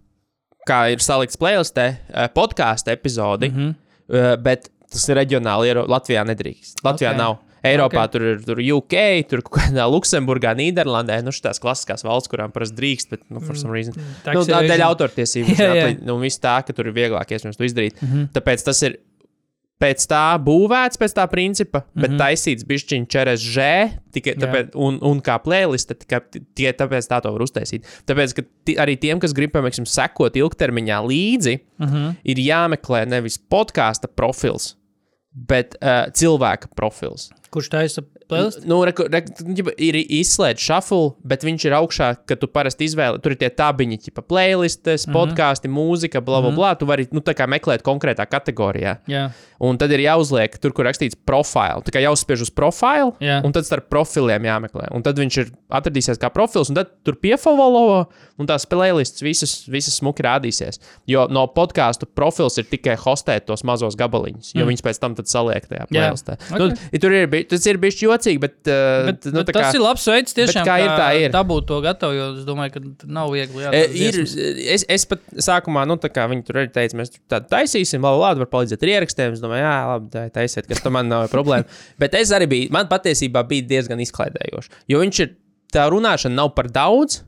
kā ir salikts playlistē, eh, podcastu epizodi, Mhm. mm-hmm. bet tas ir reģionāli, Eiro- Latvijā nedrīkst. Latvijā Ok. nav. Eiropā Ok. tur ir tur U K, tur kaut kādā Luksemburgā, Nīderlandē, nu šitās klasiskās valsts, kurām parasti drīkst, bet, nu, for some reason. Tax Nu, tā evasion. dēļ autortiesības, Jā, jā. atli- nu, viss tā, ka tur ir vieglāk iespējams to izdarīt. Mhm. Tāpēc tas ir pēc tā būvēts, pēc tā principa, bet Mhm. taisīts bišķiņ čeres žē, tikai Jā. tāpēc, un, un kā playlista, tikai tikai tāpēc tā to var uztaisīt. Tāpēc, ka ti, arī tiem, kas grib, piemēram, sekot ilgtermiņā līdzi, Mhm. ir jāmeklē nevis podkāsta profils, bet uh, cilvēka profils. Kurš taisa playlist? Nu, reku, reku, ģipa, ir izslēgts shuffle, bet viņš ir augšā, ka tu parasti izvēli. Tur ir tie tabiņi, tipa playlistes, podkāsti, mūzika, bla, bla, bla. Tu vari nu, tā kā meklēt konkrētā kategorijā. Jā. Un tad ir jāuzliek tur, kur rakstīts profile. Tā kā jāuzspiež uz profilu, Jā. un tad starp profiliem jāmeklē. Un tad viņš ir atradīsies kā profils, un tad tur piefavolo, un tās playlists visas, visas smuki rādīsies. Jo no podkāstu profils ir tikai hostēt tos mazos gabaliņus, jo mm. viņas pēc tam tad saliek tajā playlistā. Ok. Nu, tur ir, bij- tas ir bijis jocīgi, bet, uh, Bet, nu, bet tā kā, tas ir labs veids tiešām, bet kā ir, tā ir. dabūt to gatavu, jo es domāju, ka t- nav viegli. Jā, E, tās ir, dziesmas. es, es pat sākumā, nu, tā kā viņi tur arī teica, mēs tādu taisīsim, labi, labi, var palīdzēt ar ierakstiem. Es domāju, jā, labi, tā taisiet, kas tam man nav problēma. Bet es arī biju, man patiesībā bija diezgan izklaidējoši. Jo viņš ir, tā runāšana nav par daudz,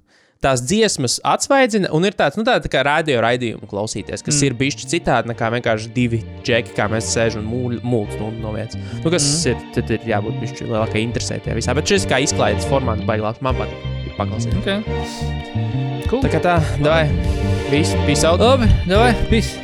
tās dziesmas atsvaidzina, un ir tāds, nu, tā, tā kā radio raidījumu klausīties, kas mm. ir bišķi citādi nekā vienkārši divi džeki, kā mēs sēžam un mūļ stundu no vietas. Nu, kas mm. ir, tad ir jābūt bišķi lielākai interesē tajā visā. Bet šis kā izklaides formāts baigās, man patīk paklausīt. Okay. Cool. Tā kā tā, davai, visu, peace out. Labi, davai, peace.